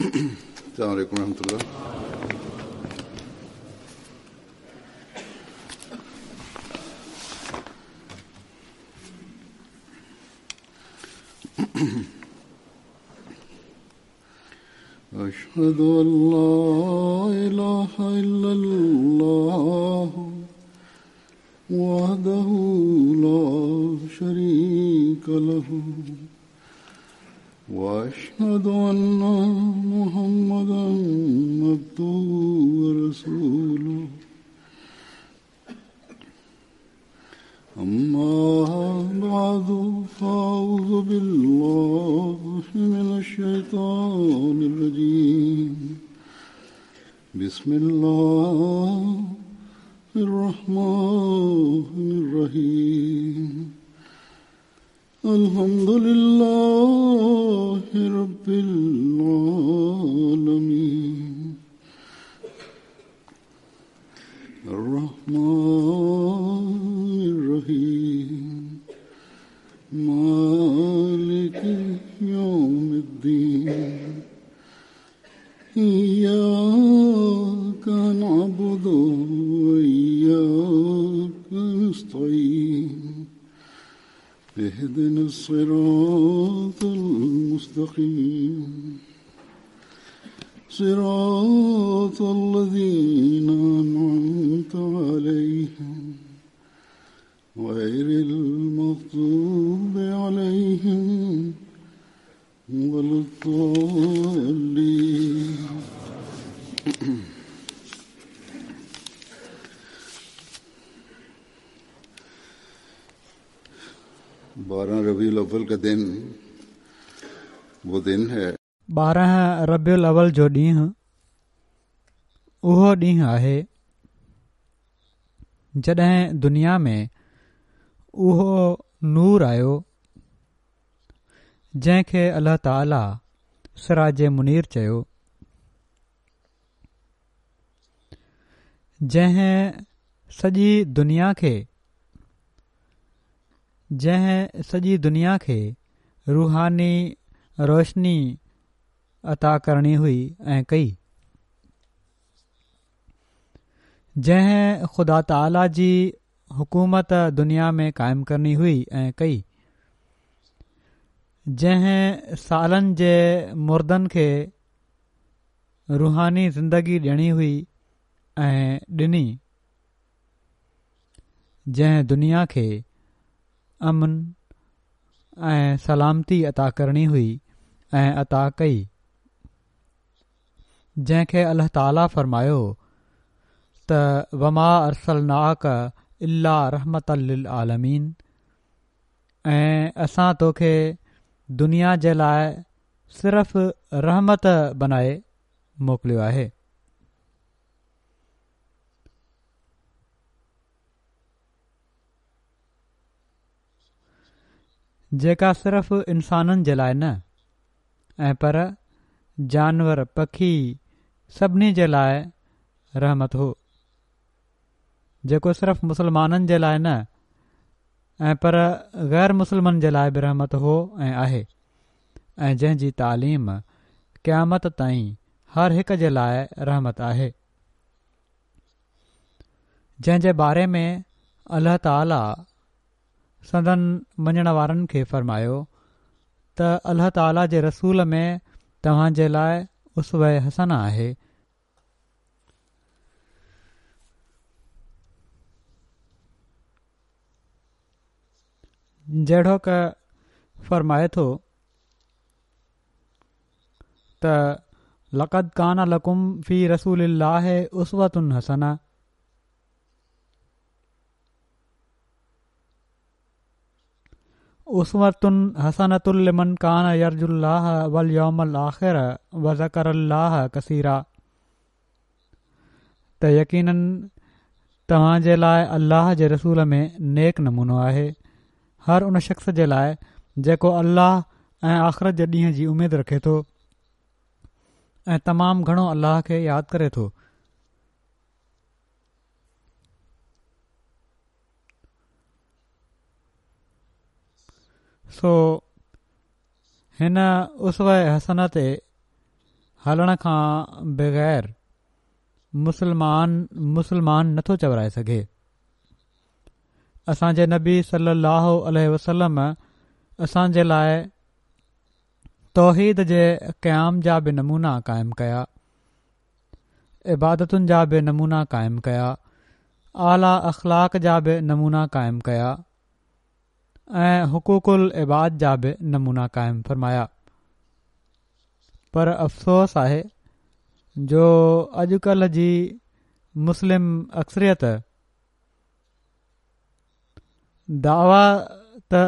السلام عليڪم ورحمة الله. أشهد أن لا إله إلا الله وحده لا شريك له وأشهد أن محمدا عبده ورسوله أما بعد فأعوذ بالله من الشيطان الرجيم بسم الله الرحمن الرحيم الحمد لله رب العالمين الرحمن الرحيم مالك يوم الدين إياك نعبد وإياك نستعين اهدنا الصراط المستقيم صراط الذين أنعمت عليهم غير المغضوب عليهم ولا الضالين. 12 ربيع الاول کا دن وہ دن ہے. 12 ربيع الاول جو ڏينهن اهو ڏينهن آهي جڏهن دنيا ۾ اهو نور آيو جنهن کي الله تعالي سراج منير چيو، جنهن سڄي دنيا کي جنهن سڄي دنيا کي روحاني روشني عطا ڪرڻي هئي ۽ ڪئي، جنهن خدا تعالي جي حڪومت دنيا ۾ قائم ڪرڻي هئي ۽ ڪئي، جنهن سالن جي مردن کي روحاني زندگي ڏيڻي هئي ۽ ڏني، جنهن دنيا کي امن ۽ سلامتي عطا ڪرڻي هئي ۽ عطا ڪئي. جنهن کي الله تعالي فرمايو ته وما ارسلناڪ الا رحمة للعالمين ۽ اسان توکي دنيا جي لاء صرف رحمت بنائي موڪليو آهي. جيڪا صرف انسانن جي لاء نه ۽ پر جانور پکي سڀني جي لاء رحمت هو جيڪو صرف مسلمانن جي لاء نه ۽ پر غير مسلمن جي لاء به رحمت هو ۽ آهي ۽ جنهن جي تعليم قيامت تائين هر هڪ جي لاء رحمت آهي جنهن جي باري ۾ الله تعالي سندن مڃڻ وارن کي فرمايو ته الله تعالي جي رسول ۾ توهان جي لاء اسوه حسنه آهي. جهڙوڪ فرمائي ٿو ته لقد ڪان لڪم في رسول الله اسوة حسنه. اسوة حسنة لمن ڪان يرجو الله واليوم الاخر وذڪر الله ڪثيرا ته يقيناً توهان جي لاء الله جي رسول ۾ نيڪ نمونو آهي هر ان شخص جي لاء جيڪو الله ۽ آخرت جي ڏينهن جي اميد رکي ٿو ۽ تمام گهڻو الله کي ياد ڪري ٿو. سو هن اسوه حسنه تي هلڻ کان بغير مسلمان مسلمان نٿو چورائي سگهي. اسان جي نبي صلي الله عليه وسلم اسان جي لاء توحيد جي قيام جا به نمونا قائم ڪيا، عبادتن جا به نمونا قائم ڪيا، اعليٰ اخلاق جا به نمونا قائم ڪيا ۽ حقوق العباد جا به نمونا قائم فرمايا. پر افسوس آهي جو اڄڪلهه جي مسلم اڪثريت دعويٰ ته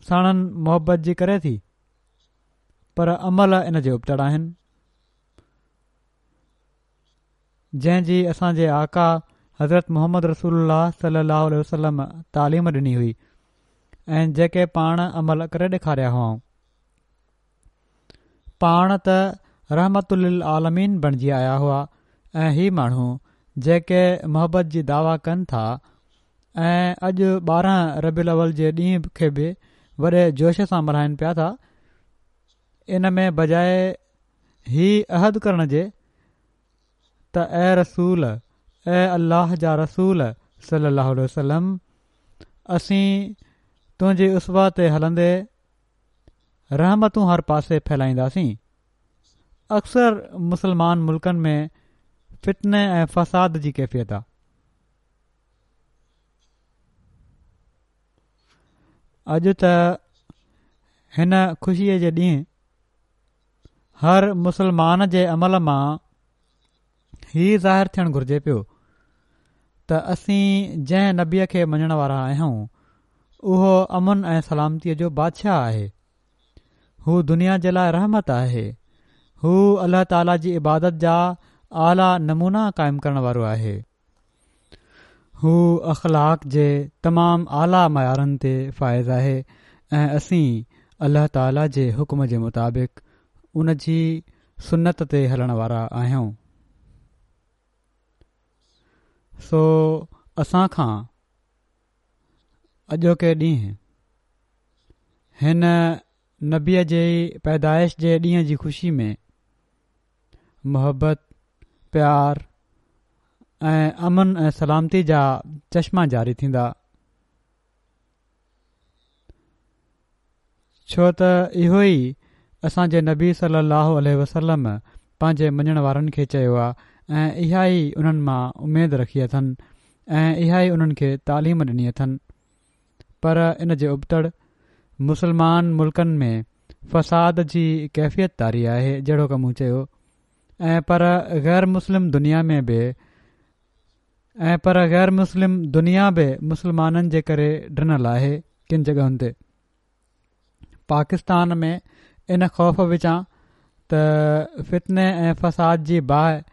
ساڻن محبت جي ڪري ٿي پر عمل ان جي ابتڙ آهن جنهن جي اسان جي آقا حضرت محمد رسول الله صلي الله عليه وسلم تعليم ڏني هئي ۽ جيڪي پاڻ عمل ڪري ڏيکاريا هئائون. پاڻ ته رحمت للعالمين بڻجي آيا هئا ۽ هي ماڻهو جيڪي محبت جي دعويٰ ڪن ٿا ۽ اڄ 12 ربيع الاول جي ڏينهن کي به وڏي جوش سان ملهائن پيا ٿا، ان ۾ بجاء هي عهد ڪرڻ جي ته اي رسول، اي الله جا رسول صلي الله عليه وسلم اسين تنهنجي اسوه تي هلندي رحمتون هر پاسي ڦهلائينداسين. اڪثر مسلمان ملڪن ۾ فتني ۽ فساد جي ڪيفيت آ. اڄ ته هن خوشيء جي ڏينهن هر مسلمان جي عمل مان هي ظاهر ٿيڻ گهرجي پيو ته اسين جنهن نبيء کي مڃڻ وارا آهيون اهو امن ۽ سلامتيء جو بادشاهه آهي. هو دنيا جي لاء رحمت آهي. هو الله تعاليٰ جي عبادت جا اعليٰ نمونا قائم ڪرڻ وارو آهي. هو اخلاق جي تمام اعليٰ معيارن تي فائز آهي ۽ اسين الله تعاليٰ جي حڪم جي مطابق ان جي سنت تي هلڻ وارا آهيون. سو اسان کان اڄوڪي ڏينهن هن نبيء جي پيدائش جي ڏينهن جي خوشي ۾ محبت، پيار ۽ امن ۽ سلامتي جا چشما جاري ٿيندا. ڇو ته اهو ئي اسان جي نبي صلي الله عليه وسلم پنهنجي مڃڻ وارن کي چيو آ ۽ اها ئي انهن مان اميد رکي اٿن ۽ اها ئي انهن کي تعليم ڏني اٿن پر ان جي ابتڙ مسلمان ملڪن ۾ فساد جي ڪيفيت طاري آهي جهڙوڪ مون چيو ۽ پر غير مسلم دنيا ۾ به ۽ پر غير مسلم دنيا به مسلمانن جي ڪري ڊنل آهي ڪن جڳهن تي پاڪستان ۾ ان خوف وچان ته فتني ۽ فساد جي باهه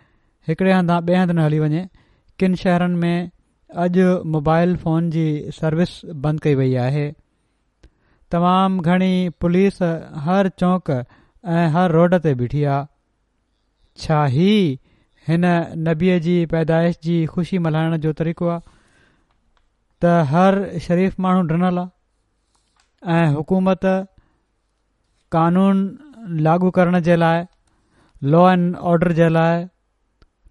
هڪڙي هنڌان ٻئي هنڌ نه هلي وڃي ڪن شهرن ۾ اڄ موبائل فون جي سروس بند ڪئي وئي آهي تمام گهڻي پوليس هر چونڪ ۽ هر روڊ تي بيٺي آ ڇا هي هن نبيء جي پيدائش جي خوشي ملهائڻ جو طريقو آ ته هر شريف ماڻهو ڊنل آ ۽ حڪومت قانون لاڳو ڪرڻ جي لاء لا اينڊ آرڊر جي لاء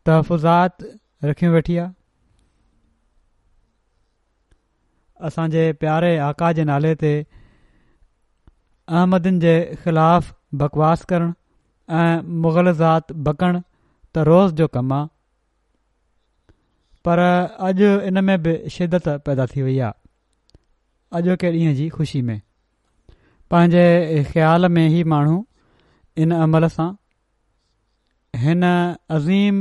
تحفظات رکيون ويٺي آ. اسان جي پياري آقا جي نالي تي احمدين جي خلاف بڪواس ڪرڻ ۽ مغلظات بڪڻ ته روز جو ڪم آ پر اڄ ان ۾ به شدت پيدا ٿي وئي آ اڄوڪي ڏينهن جي خوشي ۾ پنهنجي خيال ۾ هي ماڻهو ان عمل سان هن عظيم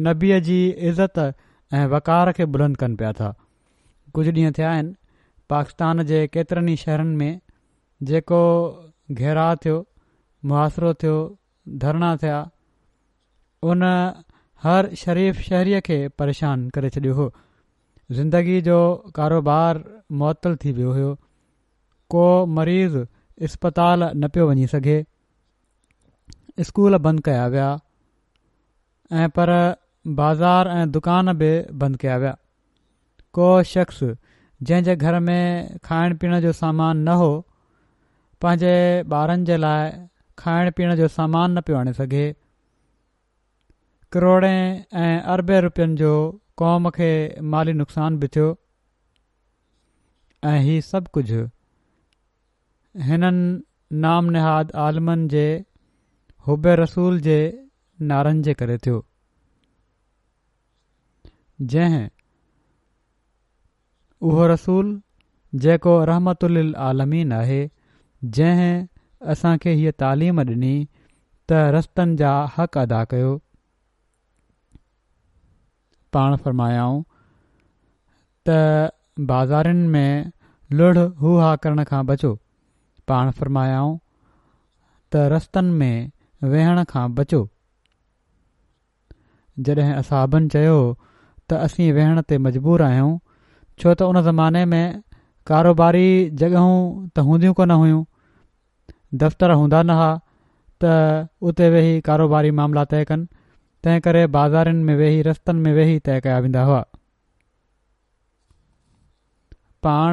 نبيء جي عزت ۽ وقار کي بلند ڪن پيا ٿا. ڪجهه ڏينهن ٿيا آهن پاڪستان جي ڪيترن ئي شهرن ۾ جيڪو گهيراء ٿيو، محاصرو ٿيو، ڌرڻا ٿيا، ان هر شريف شهريء کي پريشان ڪري ڇڏيو هو. زندگي جو ڪاروبار معطل ٿي ويو هيو. ڪو مريض اسپتال نه پيو وڃي سگهي. اسڪول بند ڪيا ويا ۽ پر بازار ۽ دڪان به بند ڪيا ويا. ڪو شخص جنهن جي گهر ۾ کائڻ پيئڻ جو سامان نه هو پنهنجي ٻارن جي لاء کائڻ پيئڻ جو سامان نه پيو آڻي سگهي. ڪروڙين ۽ اربين روپين جو قوم کي مالي نقصان به ٿيو ۽ هي سڀ ڪجهه هنن نام نهاد عالمن جي حب رسول جي نعرن جي ڪري ٿيو جنهن اهو رسول جيڪو رحمت للعالمين آهي جنهن اسان کي هيء تعليم ڏني ته رستن جا حق ادا ڪيو. پاڻ فرمايائون ته بازارين ۾ لڙ هو ها ڪرڻ کان بچو. پاڻ فرمايائون ته رستن ۾ ويهڻ کان بچو. جڏهن اصحابن چيو ته اسين ويهڻ تي مجبور آهيون ڇو ته ان زماني ۾ ڪاروباري جڳهون ته هونديون ڪونه هيون، دفتر هوندا نه ها ته اتي ويهي ڪاروباري معاملا طئي ڪن، تنهن ڪري بازارين ۾ ويهي رستن ۾ ويهي طئي ڪيا ويندا هئا. پاڻ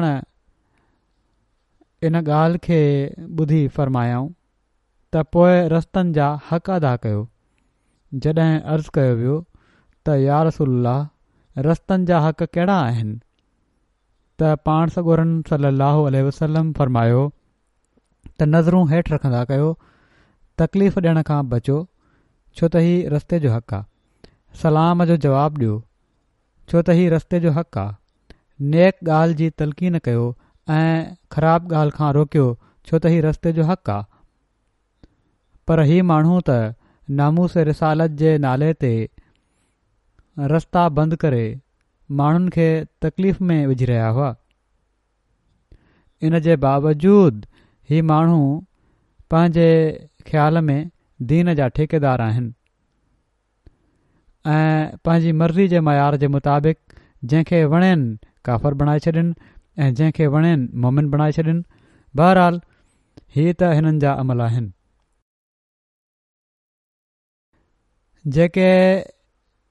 ان ڳالهه کي ٻڌي فرمايائون. ته پوء رستن جا حق ادا ڪيو. جڏهن عرض ڪيو ويو ته يا رسول الله رستن جا حق ڪهڙا آهن؟ ته پاڻ سڳورن صلي الله عليه وسلم فرمايو ته نظرون هيٺ رکندا ڪيو، تڪليف ڏيڻ کان بچو ڇو ته هي رستي جو حق آ. سلام جو جواب ڏيو ڇو ته هي رستي جو حق آ. نيڪ ڳالهه جي تلقين ڪيو ۽ خراب ڳالهه کان روڪيو ڇو ته هي رستي جو حق آ. پر هي ماڻهو ته ناموس رسالت جي نالي تي رستا بند ڪري ماڻهن کي تڪليف ۾ وجهي رهيا هئا. ان جي باوجود هي ماڻهو پنهنجي خيال ۾ دين جا ٺيڪيدار آهن. ۽ پنهنجي مرضي جي معيار جي مطابق جنهن کي وڻين ڪافر بڻائي ڇڏين ۽ جنهن کي وڻين مومن بڻائي ڇڏين بهرحال هي ته هنن جا عمل آهن. جيڪي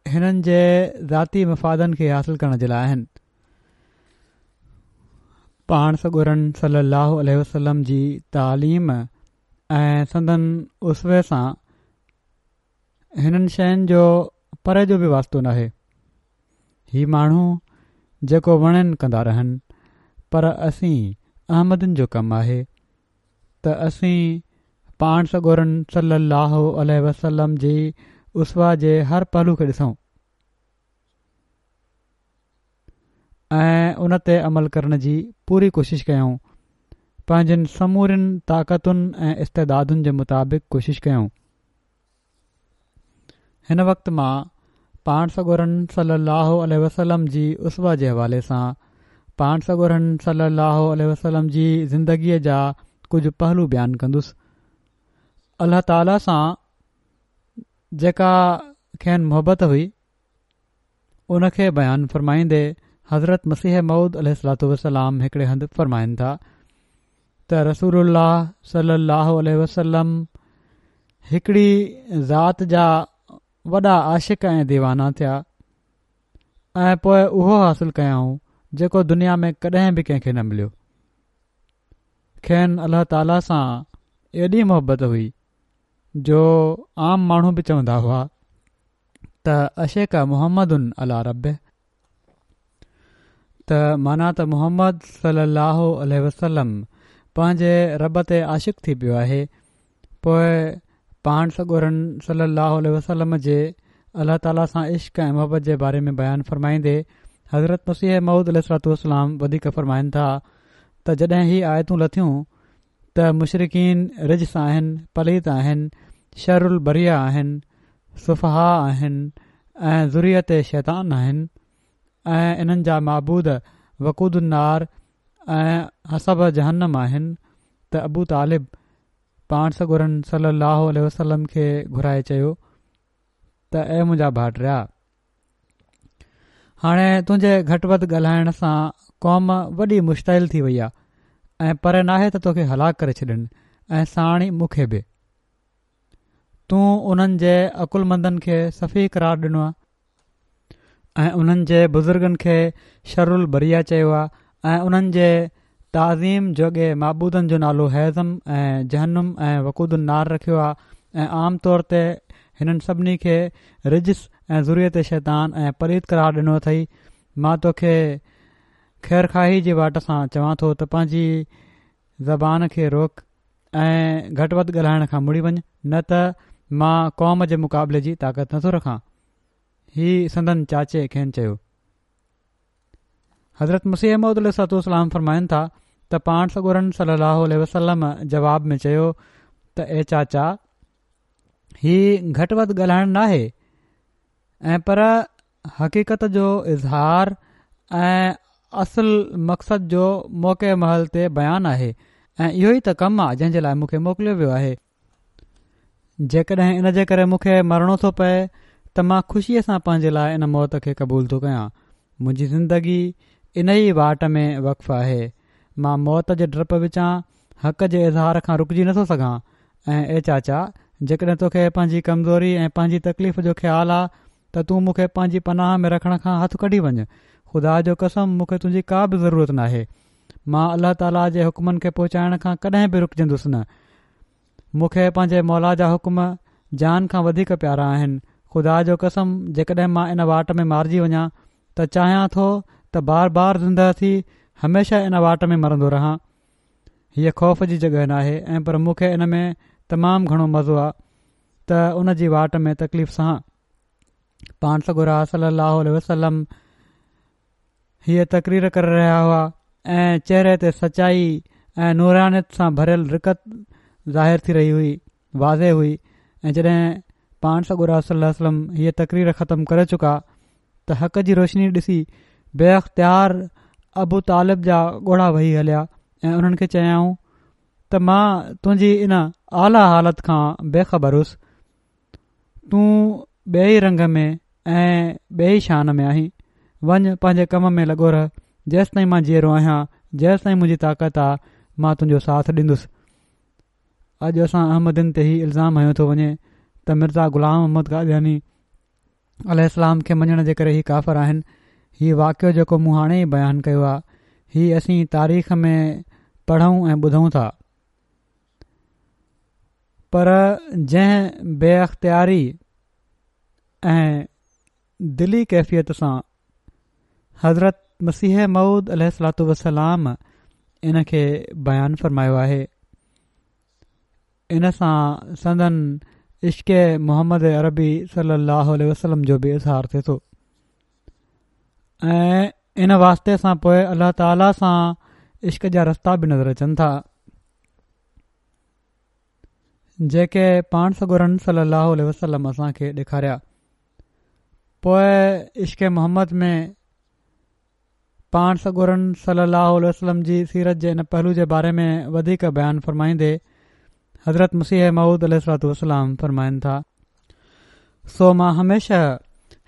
هنن جي ذاتي مفادن کي حاصل ڪرڻ جي لاء آهن. پاڻ سڳورن صلي الله عليه وسلم جي تعليم ۽ سندن اسوي سان هنن شين جو پري جو به واسطو ناهي. هي ماڻهو جيڪو وڻين ڪندا رهن پر اسين احمدين جو ڪم آهي ته اسين پاڻ سڳورن صلي الله عليه وسلم جي اسوه جي هر پهلو کي ڏسون ۽ ان تي عمل ڪرڻ جي پوري ڪوشش ڪيون پنهنجين سمورين طاقتن ۽ استعدادن جي مطابق ڪوشش ڪيون. هن وقت مان پاڻ سڳورن صلّي اللّٰه عليه وسلّم جي اسوه جي حوالي سان پاڻ سڳورن صلّي اللّٰه عليه وسلّم جي زندگيء جا ڪجهه پهلو بيان ڪندس. الله تعاليٰ سان جيڪا کين محبت هئي، ان کي بيان فرمائيندي حضرت مسيح موعود عليه الصلوة والسلام هڪڙي هنڌ فرمائن ٿا ته رسول الله صلي الله عليه وسلم هڪڙي ذات جا وڏا عاشق ۽ ديوانا ٿيا ۽ پوء اهو حاصل ڪيائون جيڪو دنيا ۾ ڪڏهن به ڪنهن کي نه مليو کين الله تعالي سان ايڏي محبت هئي جو عام ماڻهو به چوندا هئا ته عشق محمد علي ربه ته معنيٰ ته محمد صلي الله عليه وسلم پنهنجي رب تي عاشق ٿي پيو آهي پوء پاڻ سڳورن صلي الله عليه وسلم جي الله تعاليٰ سان عشق ۽ محبت جي باري ۾ بيان فرمائيندي حضرت مسيح موعود عليه الصلوة والسلام وڌيڪ فرمائن ٿا ته جڏهن هي آيتون لٿيون ته مشرڪين رجس آهن، پليت آهن، شر البريه آهن، سفهاء آهن ۽ ذريت شيطان آهن ۽ انهن جا معبود وقود النار ۽ حصب جهنم آهن ته ابو طالب پاڻ سڳورن صلي الله عليه وسلم کي گهرائي چيو ته اي منهنجا ڀائٽيا! هاڻي تنهنجي گهٽ وڌ ڳالهائڻ سان قوم وڏي مشتعل ٿي وئي آهي ۽ پري ناهي ته توکي هلاڪ ڪري ڇڏن ۽ ساڻ ئي مون کي به. تون انهن جي عقلمندن کي سفيه قرار ڏنو آهي ۽ انهن جي بزرگن کي شر البريه چيو آهي ۽ انهن جي تعظيم جوڳي معبودن جو نالو حيزم ۽ جهنم ۽ وقود النار رکيو آهي ۽ عام طور تي هنن سڀني کي رجس ۽ ذريت شيطان ۽ پليت قرار ڏنو اٿئي. مان توکي خيرخواهي جي واٽ سان چوان ٿو ته پنهنجي زبان کي روڪ ۽ گهٽ وڌ ڳالهائڻ کان مڙي وڃ نه ته مان قوم جي مقابلي جي طاقت نٿو رکان. هي سندن چاچي کين چيو. حضرت مسيح موعود عليه الصلوة والسلام فرمائن ٿا ته پاڻ سڳورن صلي الله عليه وسلم جواب ۾ چيو ته اي چاچا هي گهٽ وڌ ڳالهائڻ ناهي ۽ پر حقيقت جو اظهار ۽ اصل مقصد جو موقع محل تي بيان آهي ۽ اهو ئي ته ڪم آ جنهن جي لاء مون کي موڪليو ويو آهي جيڪڏهن ان جي ڪري مون کي مرڻو ٿو پئي ته مان خوشيء سان پنهنجي لاء ان موت کي قبول ٿو ڪيان. منهنجي زندگي ان ئي واٽ ۾ وقف آهي. مان موت جي ڊپ وچان حق جي اظهار کان رڪجي نٿو سگهان ۽ اي چاچا! جيڪڏهن توکي پنهنجي ڪمزوري ۽ پنهنجي تڪليف جو خيال آ ته تون مون کي پنهنجي پناهه ۾ رکڻ کان هٿ ڪڍي وڃ. خدا جو قسم مون کي تنهنجي ڪا به ضرورت ناهي. مان الله تعاليٰ جي حڪمن کي پهچائڻ کان ڪڏهن به رڪجندس نه. مون کي پنهنجي مولا جا حڪم جان کان وڌيڪ پيارا آهن. خدا جو قسم جيڪڏهن مان ان واٽ ۾ مارجي وڃان ته چاهيان ٿو ته بار بار زندهه ٿي هميشه ان واٽ ۾ مرندو رهان. هيء خوف جي جڳهه ناهي ۽ پر مون کي ان ۾ تمام گهڻو مزو آ ته ان جي واٽ ۾ تڪليف سهان. پاڻ سڳورا صلي الله عليه وسلم هيء تقرير ڪري رهيا هئا ۽ چهري تي سچائي ۽ نورانيت سان ڀريل رقت ظاهر ٿي رهي هئي واضح هئي ۽ جڏهن پاڻ سڳورا صلي الله عليه وسلم هيء تقرير ختم ڪري چڪا ته حق جي روشني ڏسي بي اختيار ابو طالب جا ڳوڙها وهي هليا ۽ انهن کي چيائون ته مان تنهنجي ان اعليٰ حالت کان بي خبر هوس تون ٻئي ئي رنگ ۾ ۽ ٻئي ئي شان ۾ آهين. وڃ، پنهنجي ڪم ۾ لڳو رهه. جيستائين مان جيئرو آهيان، جيستائين منهنجي طاقت آ، مان تنهنجو ساٿ ڏيندس. اڄ اسان احمدين تي هي الزام هنيو ٿو وڃي ته مرزا غلام احمد قادياني عليه السلام کي مڃڻ جي ڪري هي ڪافر آهن. هي واقعو جيڪو مون هاڻي ئي بيان ڪيو آ، هي اسين تاريخ ۾ پڙهون ۽ ٻڌون ٿا. پر جنهن بي اختياري ۽ دلي ڪيفيت سان حضرت مسيح موعود عليه الصلوة والسلام ان کي بيان فرمايو آهي ان سان سندن عشق محمد عربي صلي الله عليه وسلم جو به اظهار ٿئي ٿو ۽ ان واسطي سان پوء الله تعاليٰ سان عشق جا رستا به نظر اچن ٿا جيڪي پاڻ سڳورن صلي الله عليه وسلم اسان کي ڏيکاريا پوء عشق محمد ۾ پاڻ سڳورن صلي الله عليه وسلم جي سيرت جي ان پهلو جي باري ۾ وڌيڪ بيان فرمائيندي حضرت مسيح موعود عليه الصلوة والسلام فرمائن ٿا سو مان هميشه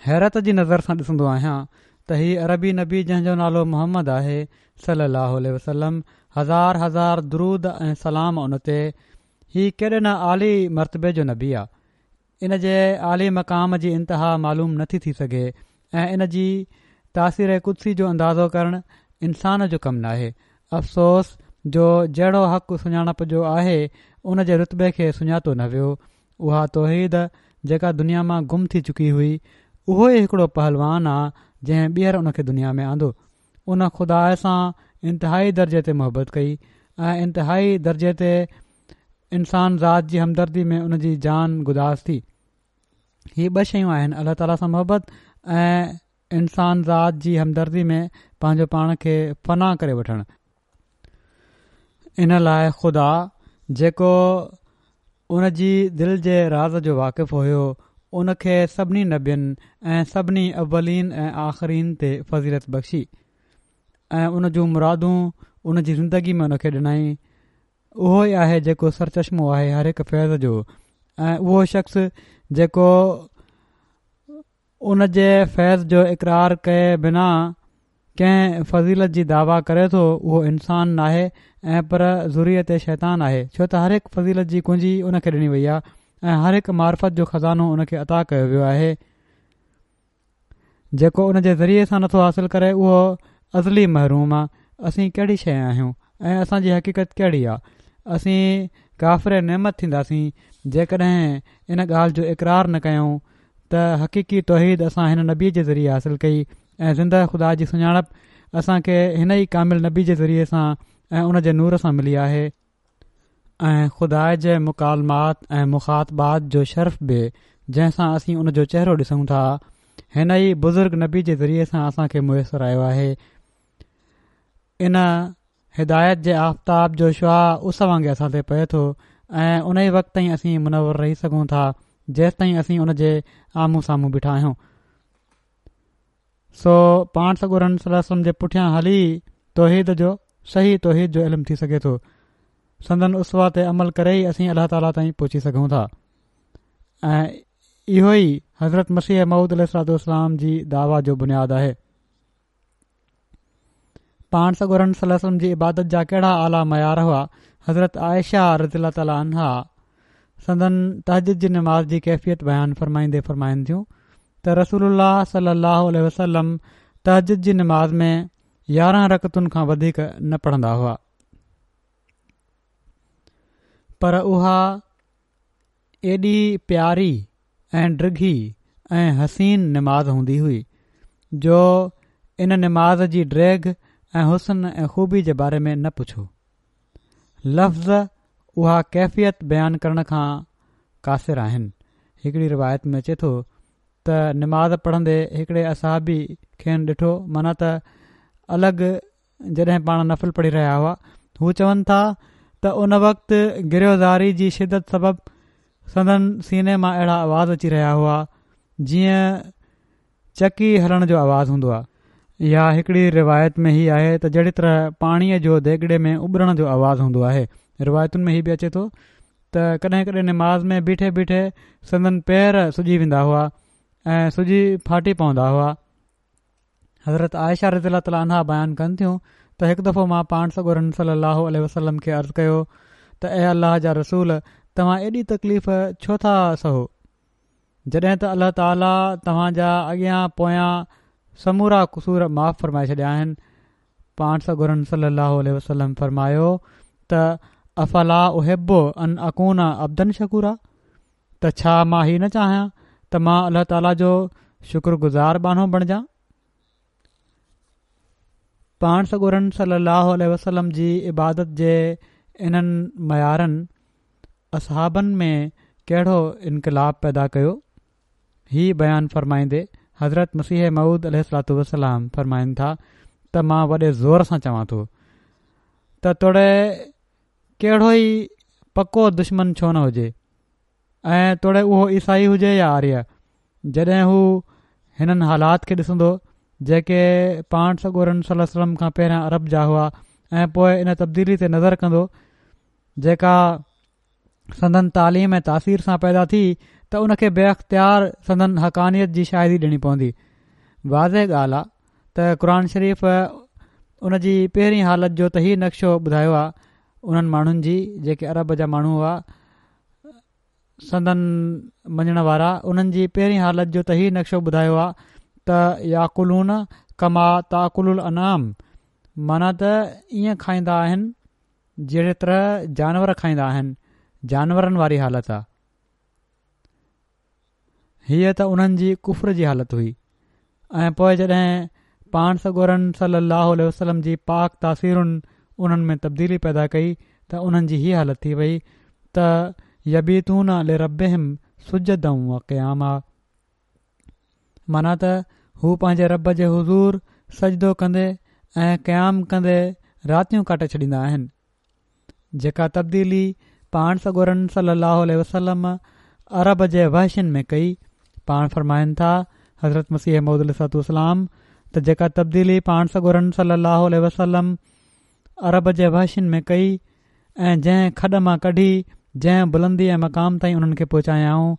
حيرت جي نظر سان ڏسندو آهيان ته هي عربي نبي جنهن جو نالو محمد آهي صلي الله عليه وسلم هزار هزار درود ۽ سلام ان تي هي ڪيڏي نه عالي مرتبي جو نبي آ ان جي عالي مقام جي انتها معلوم نٿي ٿي سگهي ۽ ان جي تاثير قدسي جو اندازو ڪرڻ انسان جو ڪم ناهي افسوس جو جهڙو حق سڃاڻپ جو آهي ان جي رتبي کي سڃاتو نه ويو اها توحيد جيڪا دنيا مان گم ٿي چڪي هئي، اهو ئي هڪڙو پهلوان آ جنهن ٻيهر ان کي دنيا ۾ آندو. ان خدا سان انتهائي درجي تي محبت ڪئي ۽ انتهائي درجي تي انسان ذات جي همدردي ۾ ان جي جان گداز ٿي. هي ٻه شيون آهن الله تعاليٰ سان محبت ۽ انسان ذات جي همدردي ۾ پنهنجو پاڻ کي فنا ڪري وٺڻ. ان لاء خدا جيڪو ان جي دل جي راز جو واقف هيو ان کي سڀني نبين ۽ سڀني اولين ۽ آخرين تي فضيلت بخشي ۽ ان جون مرادون ان جي زندگي ۾ ان کي ڏنائين اهو ئي آهي جيڪو سرچشمو آهي هر هڪ فيض جو ۽ اهو شخص جيڪو ان جي فيض جو اقرار ڪئي بنا ڪنهن فضيلت جي دعويٰ ڪري ٿو اهو انسان ناهي ۽ پر ذريت شيطان آهي ڇو ته هر هڪ فضيلت جي ڪنجي ان کي ڏني وئي آهي ۽ هر هڪ معرفت جو خزانو ان کي عطا ڪيو ويو آهي جيڪو ان جي ذريعي سان نٿو حاصل ڪري اهو ازلي محروم آهي اسين ڪهڙي شيء آهيون ۽ اسان جي حقيقت ڪهڙي آهي اسين ڪافر نعمت ٿينداسين جيڪڏهن ان ڳالهه جو اقرار نه ڪيون ته حقيقي توحيد اسان هن نبي جي ذريعي حاصل ڪئي ۽ زنده خدا جي سڃاڻپ اسان کي هن ئي ڪامل نبي جي ذريعي سان ۽ ان جي نور سان ملي آهي ۽ خدا جي مڪالمات ۽ مخاطبات جو شرف به جنهن سان اسين ان جو چهرو ڏسون ٿا هن ئي بزرگ نبي جي ذريعي سان اسان کي ميسر آيو آهي. ان هدايت جي آفتاب جو شعاع اس وانگي اسان تي پئي ٿو ۽ ان ئي وقت تائين اسين منور رهي سگهون ٿا جيستائين اسين ان جي آمهون سامهون بيٺا آهيون. سو پاڻ سڳورن صلي الله عليه وسلم جي پٺيان هلي توحيد جو صحيح توحيد جو علم ٿي سگهي ٿو. سندن اسوه تي عمل ڪري ئي اسين الله تعاليٰ تائين پهچي سگهون ٿا ۽ اهو ئي حضرت مسيح موعود عليه الصلوة والسلام جي دعويٰ جو بنياد آهي. پاڻ سڳورن صلي الله عليه وسلم جي عبادت جا ڪهڙا اعليٰ معيار هئا، حضرت عائشه رضي الله تعالٰي عنها سندن تهجد جي نماز جي ڪيفيت بيان فرمائيندي فرمائن ٿيون ته رسول الله صلي الله عليه وسلم تهجد جي نماز ۾ 11 رڪعتن کان وڌيڪ نه پڙهندا هئا پر اها ايڏي پياري ۽ ڊگهي ۽ حسين نماز هوندي هئي جو ان نماز جي ڊيگهه ۽ حسن ۽ خوبي جي باري ۾ نه پڇو. لفظ اها ڪيفيت بيان ڪرڻ کان قاصر آهن. هڪڙي روايت ۾ اچي ٿو ته نماز پڙهندي هڪڙي اصحابي کين ڏٺو معنيٰ ته الڳ جڏهن پاڻ نفل پڙهي رهيا هئا هو چون ٿا ته ان وقت گريه و زاري جي شدت سبب سندن سيني مان اهڙا آواز اچي رهيا هئا جيئن چڪي هلڻ جو آواز هوندو آهي. يا هڪڙي روايت ۾ هي آهي ته جهڙي طرح پاڻيء جو ديڳڙي ۾ اٻرڻ جو آواز هوندو آهي. روايتن ۾ هي به اچي ٿو ته ڪڏهن ڪڏهن نماز ۾ بيٺي بيٺي سندن پير سجي ويندا هئا ۽ سجي ڦاٽي پوندا هئا. حضرت عائشه رضي الله تعالٰي عنها بيان ڪن ٿيون ته هڪ دفعو مان پاڻ سڳورن صلي الله عليه وسلم کي عرض ڪيو ته اي الله جا رسول توهان ايڏي تڪليف ڇو ٿا سهو جڏهن ته الله تعالٰي توهان جا اڳيان پويان سمورا قصور معاف فرمائي ڇڏيا آهن پاڻ سڳورن صلي الله عليه وسلم فرمايو ته افلا احب ان اڪون عبدا شڪورا ته ڇا مان هي نه چاهيان ته مان الله تعاليٰ جو شڪر گذار ٻانهو بڻجان؟ پاڻ سڳورن صلي الله عليه وسلم جي عبادت جي انهن معيارن اصحابن ۾ ڪهڙو انقلاب پيدا ڪيو؟ هي بيان فرمائيندي حضرت مسيح موعود عليه الصلوة والسلام فرمائن ٿا ته مان وڏي زور سان چوان ٿو ته توڙي ڪهڙو ئي پڪو دشمن ڇو نه هجي ۽ توڙي اهو عيسائي هجي يا آريه جڏهن هو هنن حالات کي ڏسندو جيڪي پاڻ سڳورن صلي الله عليه وسلم کان پهريان عرب جا هئا ۽ پوء ان تبديلي تي نظر ڪندو جيڪا سندن تعليم ۽ تاثير سان پيدا ٿي ته ان کي بي اختيار سندن حقانيت جي شاهدي ڏيڻي پوندي واضح ڳالهه آ ته قرآن شريف ان جي پهرين حالت جو ته هي نقشو ٻڌايو آهي انهن ماڻهن جي جيڪي عرب جا ماڻهو هئا سندن مڃڻ وارا انهن جي پهرين حالت جو ته هي نقشو ٻڌايو آهي ته ياڪلون ڪما تاڪل الانعام معنيٰ ته ائين کائيندا آهن جهڙي طرح جانور کائيندا آهن جانورن واري حالت آهي هيء ته انهن جي ڪفر جي حالت هئي ۽ پوء جڏهن پاڻ سڳورن صلّي اللّٰه عليه وسلّم جي پاڪ تاثيرن انهن ۾ تبديلي پيدا ڪئي ته انهن جي هيء حالت ٿي وئي ته يبيتون لربّهم سجّدا وقياما معنيٰ ته هو پنهنجي رب جي حضور سجدو ڪندي ۽ قيام ڪندي راتيون ڪاٽي ڇڏيندا آهن. جيڪا تبديلي پاڻ سڳورن صلّي اللّٰه عليه وسلّم عرب جي وحشين ۾ ڪئي، پاڻ فرمائن ٿا، حضرت مسيح موعود عليه الصلوة والسلام، ته جيڪا تبديلي پاڻ سڳورن صلّي اللّٰه عليه وسلّم عرب جي وحشين ۾ ڪئي ۽ جنهن کڏ مان ڪڍي جنهن بلندي ۽ مقام تائين انهن کي پهچايائون،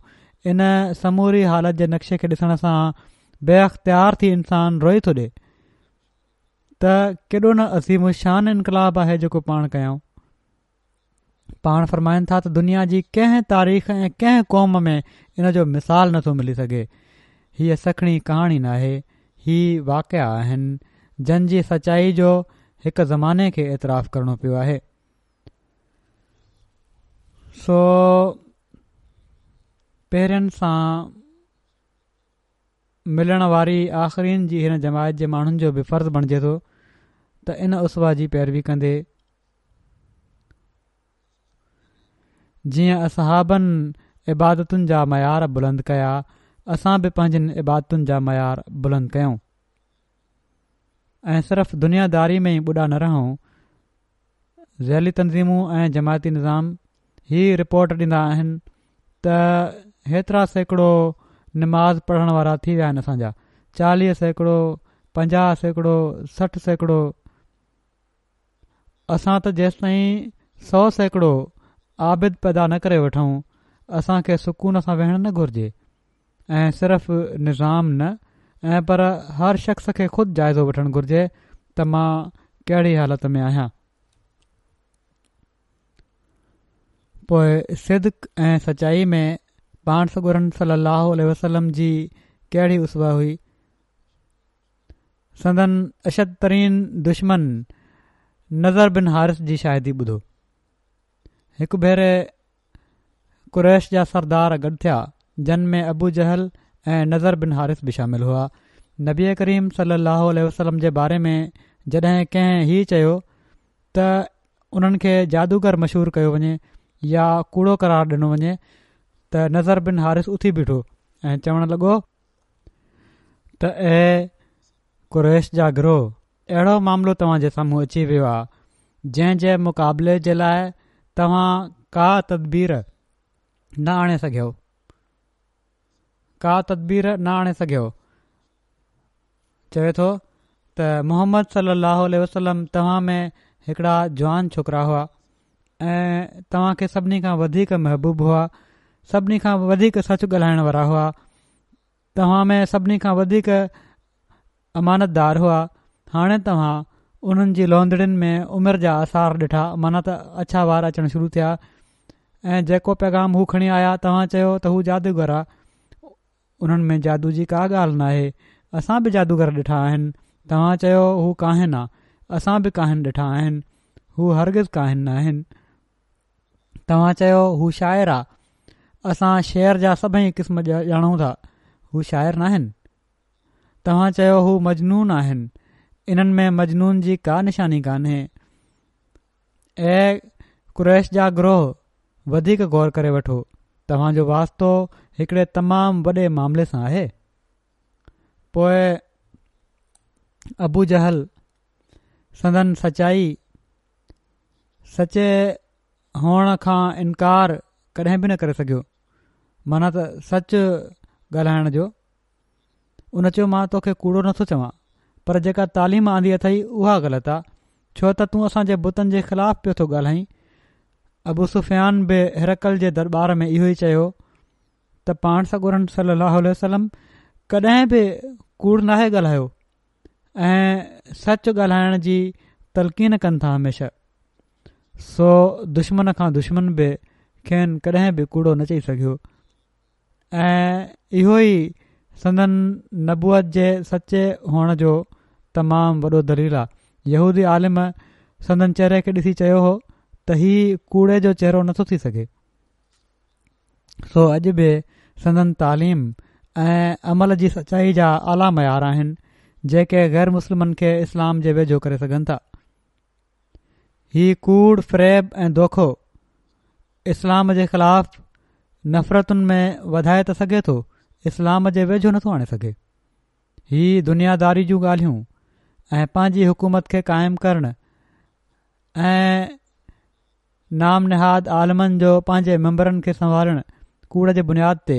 ان سموري حالت جي نقشي کي ڏسڻ سان بي اختيار ٿي انسان روئي ٿو ڏي. ته ڪيڏو نه عظيم الشان انقلاب آهي جيڪو پاڻ ڪيائون. پاڻ فرمائن ٿا ته دنيا جي ڪنهن تاريخ ۽ ڪنهن قوم ۾ ان جو مثال نٿو ملي سگهي. هيء سکڻي ڪهاڻي ناهي، هي واقعا آهن، جن جي سچائي جو هڪ زماني کي اعتراف ڪرڻو پيو آهي. سو پهرين سان ملڻ واري آخرين جي هن جماعت جي ماڻهن جو به فرض بڻجي ٿو ته ان اسوه جي پيروي ڪندي جيئن اصحابن عبادتن جا معيار بلند ڪيا اسان به پنهنجين عبادتن جا معيار بلند ڪيون ۽ صرف دنيا داري ۾ ئي ٻڏا نه رهون. ذيلي تنظيمون ۽ جماعتي نظام هي رپورٽ ڏيندا آهن ته هيترا سيڪڙو نماز پڙهڻ وارا ٿي ويا آهن اسان جا 40%، 50%، 60%، اسان ته جيستائين 100% عابد پيدا نه ڪري وٺون اسان کي سڪون سان ويهڻ نه گهرجي ۽ صرف نظام نه ۽ پر هر شخص کي خود جائزو وٺڻ گهرجي ته مان ڪهڙي حالت ۾ آهيان. پوء صدق ۽ سچائي ۾ پاڻ سڳورن صلي الله عليه وسلم جي ڪهڙي اسوه هئي. سندن اشد ترين دشمن نضر بن حارث جي شاهدي ٻڌو. هڪ ڀيري قريش جا سردار گڏ ٿيا، جن ۾ ابو جهل ۽ نضر بن حارث به شامل هئا. نبي ڪريم صلي الله عليه وسلم جي باري ۾ جڏهن ڪنهن هي چيو ته انهن کي جادوگر مشهور ڪيو وڃي يا ڪوڙو قرار ڏنو وڃي ته نضر بن حارث اٿي بيٺو ۽ چوڻ لڳو ته اي قريش جا گروهه! اهڙو معاملو توهان جي سامهون اچي ويو آهي جنهن جي مقابلي جي لاء توهان ڪا تدبير نه آڻي سگهيو ڪا تدبير نه آڻي سگهيو چوي ٿو ته محمد صلي الله عليه وسلم توهان ۾ هڪڙا جوان ڇوڪرا هئا ۽ توهان کي سڀني کان وڌيڪ محبوب هئا سڀني کان وڌيڪ سچ ڳالهائڻ وارا هئا توهان ۾ سڀني کان وڌيڪ امانتدار هئا، هاڻي توهان انهن جي لوندڙين ۾ عمر جا آثار ڏٺا معنيٰ ته اڇا وار اچڻ شروع ٿيا ۽ جيڪو پيغام هو کڻي آيا توهان چيو ته هو جادوگر آ انهن ۾ جادو جي ڪا ڳالهه ناهي اسان به جادوگر ڏٺا آهن توهان چيو هو ڪاهن آ اسان به ڪاهن ڏٺا آهن هو هرگز ڪاهن ناهن توهان چيو هو شاعر آ اسان شعر جا سڀئي قسم ڄاڻون ٿا هو شاعر ناهن توهان چيو هو مجنون آهن، انهن ۾ مجنون جي ڪا نشاني ڪانهي. اي قريش جا گروهه! وڌيڪ غور ڪري وٺو، توهان جو واسطو هڪڙي تمام وڏي معاملي سان آهي. پوء ابو جهل سندن سچائي، سچي هئڻ کان انڪار ڪڏهن به نه ڪري سگهيو، معنيٰ ته سچ ڳالهائڻ جو. ان چيو مان توکي ڪوڙو نٿو چوان پر جيڪا تعليم آندي اٿئي اها غلط آ ڇو ته تون اسان جي بتن جي خلاف پيو ٿو ڳالهائين ابو سفيان به هرقل جي درٻار ۾ اهو ئي چيو ته پاڻ سڳورن صلي الله عليه وسلم ڪڏهن به ڪوڙ ناهي ڳالهايو ۽ سچ ڳالهائڻ جي تلقين ڪن ٿا هميشه سو دشمن کان دشمن به کين ڪڏهن به ڪوڙو نه چئي سگهيو ۽ اهو ئي سندن نبوت جي سچي هئڻ جو تمام وڏو دليل آ. يهودي عالم سندن چهري کي ڏسي چيو هو ته هي ڪوڙي جو چهرو نٿو ٿي سگهي. سو اڄ به سندن تعليم ۽ عمل جي سچائي جا اعليٰ معيار آهن جيڪي غير مسلمن کي اسلام جي ويجهو ڪري سگهن ٿا. هي ڪوڙ، فريب ۽ دوکو اسلام جي خلاف نفرتن ۾ وڌائي ته سگهي ٿو، اسلام جي ويجهو نٿو آڻي سگهي. هي دنياداري جون ڳالهيون ۽ پنهنجي حڪومت کي قائم ڪرڻ ۽ نام نهاد عالمن جو پنهنجي منبرن کي سنوارڻ ڪوڙ جي بنياد تي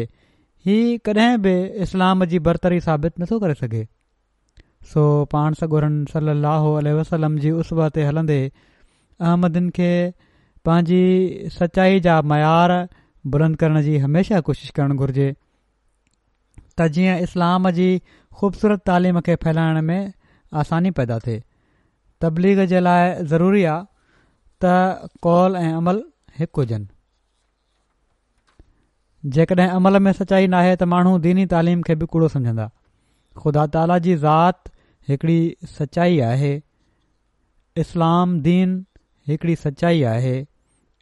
هي ڪڏهن به اسلام جي برتري ثابت نٿو ڪري سگهي. سو پاڻ سڳورن صلّي اللّٰه عليه وسلّم جي اسوه تي هلندي احمدين کي پنهنجي سچائي جا معيار بلند ڪرڻ جي هميشه ڪوشش ڪرڻ گهرجي ته جيئن اسلام جي خوبصورت تعليم کي ڦهلائڻ ۾ آساني پيدا ٿئي. تبليغ جي لاء ضروري آ ته قول ۽ عمل هڪ هجن. جيڪڏهن عمل ۾ سچائي ناهي ته ماڻهو ديني تعليم کي به ڪوڙو سمجهندا. خدا تعاليٰ جي ذات هڪڙي سچائي آهي. اسلام دين هڪڙي سچائي آهي.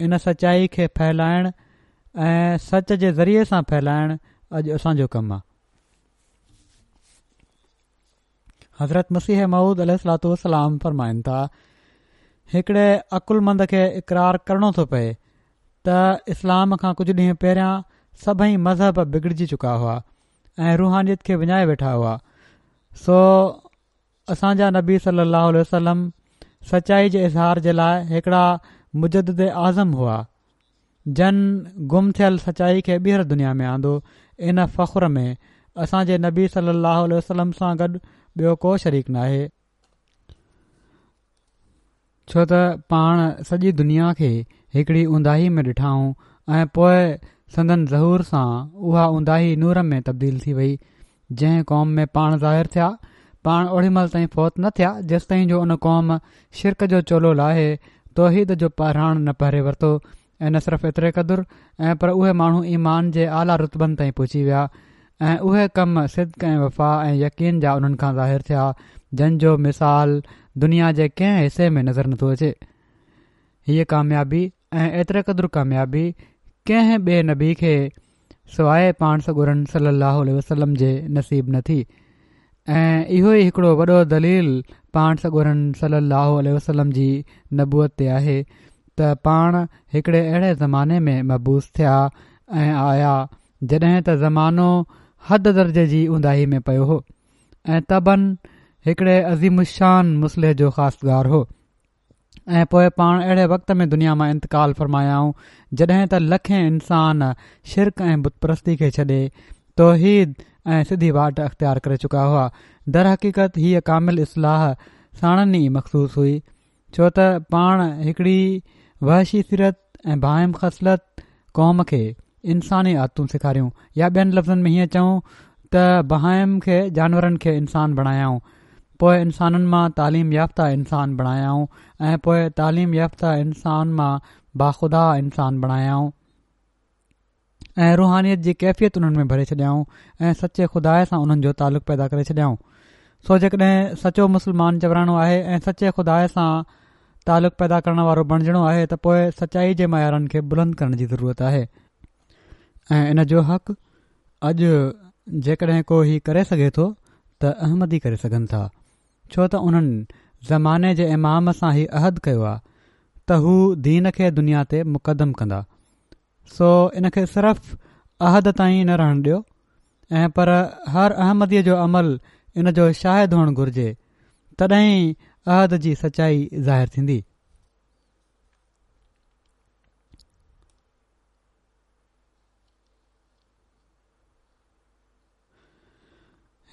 ان سچائي کي ڦهلائڻ ۽ سچ جي ذريعي سان ڦهلائڻ اڄ اسان جو ڪم آ. حضرت مسيح موعود عليه الصلوة والسلام فرمائن ٿا، هڪڙي عقلمند کي اقرار ڪرڻو ٿو پئي ته اسلام کان ڪجهه ڏينهن پهريان سڀئي مذهب بگڙجي چڪا هئا ۽ روحانيت کي وڃائي ويٺا هئا سو اسان جا نبي صلي الله عليه وسلم سچائي جي اظهار جي لاء هڪڙا مجدد اعظم هئا جن گم ٿيل سچائي کي ٻيهر دنيا ۾ آندو، ان فخر ۾ اسان جي نبي صلي الله عليه وسلم سان گڏ ٻيو ڪو شريڪ ناهي، ڇو ته پاڻ سڄي دنيا کي هڪڙي اونداهي ۾ ڏٺائون ۽ پوء سندن ظهور سان اها اونداهي نور ۾ تبديل ٿي وئي، جنهن قوم ۾ پاڻ ظاهر ٿيا، پاڻ اوڏي مهل تائين فوت نه ٿيا، جيستائين جو ان قوم شرڪ جو چولو لاهي توحيد جو پهراڻ نه پهري ورتو ۽ نه صرف ايتري قدر ۽ پر اهي ماڻهو ايمان جي اعليٰ رتبن تائين پهچي ويا ۽ اهي ڪم صدق ۽ وفا ۽ يقين جا انهن کان ظاهر ٿيا، جن جو مثال دنيا جي ڪنهن حصي ۾ نظر نٿو اچي. هيء ڪاميابي ۽ ايتري قدر ڪاميابي ڪنهن ٻئي نبي کي سواء پاڻ سڳورن صلي الله عليه وسلم جي نصيب نه ٿي ۽ اهو ئي هڪڙو وڏو دليل پاڻ سڳورن صلي الله عليه وسلم جي نبوت تي آهي ته پاڻ هڪڙي اهڙي زماني ۾ مبعوث ٿيا ۽ آيا جڏهن ته زمانو حد درجي جي اونداهي ۾ پيو هو ۽ طبعاً هڪڙي عظيم الشان مصلح جو خواستگار هو ۽ پوء پاڻ اهڙي وقت ۾ دنيا مان انتقال فرمايائون جڏهن ته لکين انسان شرڪ ۽ بت پرستي کي ڇڏي توحيد ۽ سڌي واٽ اختيار ڪري چڪا هئا. درحقيقت هيء ڪامل اصلاح ساڻن ئي مخصوص هئي ڇو ته پاڻ هڪڙي وحشي سيرت ۽ بهائم خصلت قوم کي انساني عادتون سيکاريون يا ٻين لفظن ۾ هيئن چئون ته بهائم کي جانورن کي انسان بڻايائون پوء انسانن مان تعليم يافته انسان بڻايائون ۽ پوء تعليم يافته انسان مان باخدا انسان بڻايائون ۽ روحانيت جي ڪيفيت انهن ۾ ڀري ڇڏيائون ۽ سچي خدا سان انهن جو تعلق پيدا ڪري ڇڏيائون سو جيڪڏهن سچو مسلمان چورائڻو آهي ۽ سچي خدا سان تعلق پيدا ڪرڻ وارو بڻجڻو آهي ته پوء سچائي جي معيارن کي بلند ڪرڻ جي ضرورت آهي ۽ ان جو حق اڄ جيڪڏهن ڪو هي ڪري سگهي ٿو ته احمدي ڪري سگهن ٿا ڇو ته انهن زماني جي امام سان هي عهد ڪيو آهي ته هو دين کي دنيا تي مقدم ڪندا سو ان کي صرف عهد تائين نه رهڻ ڏيو ۽ پر هر احمديء جو عمل ان جو شاهد هئڻ گهرجي تڏهن ئي عهد جي سچائي ظاهر ٿيندي.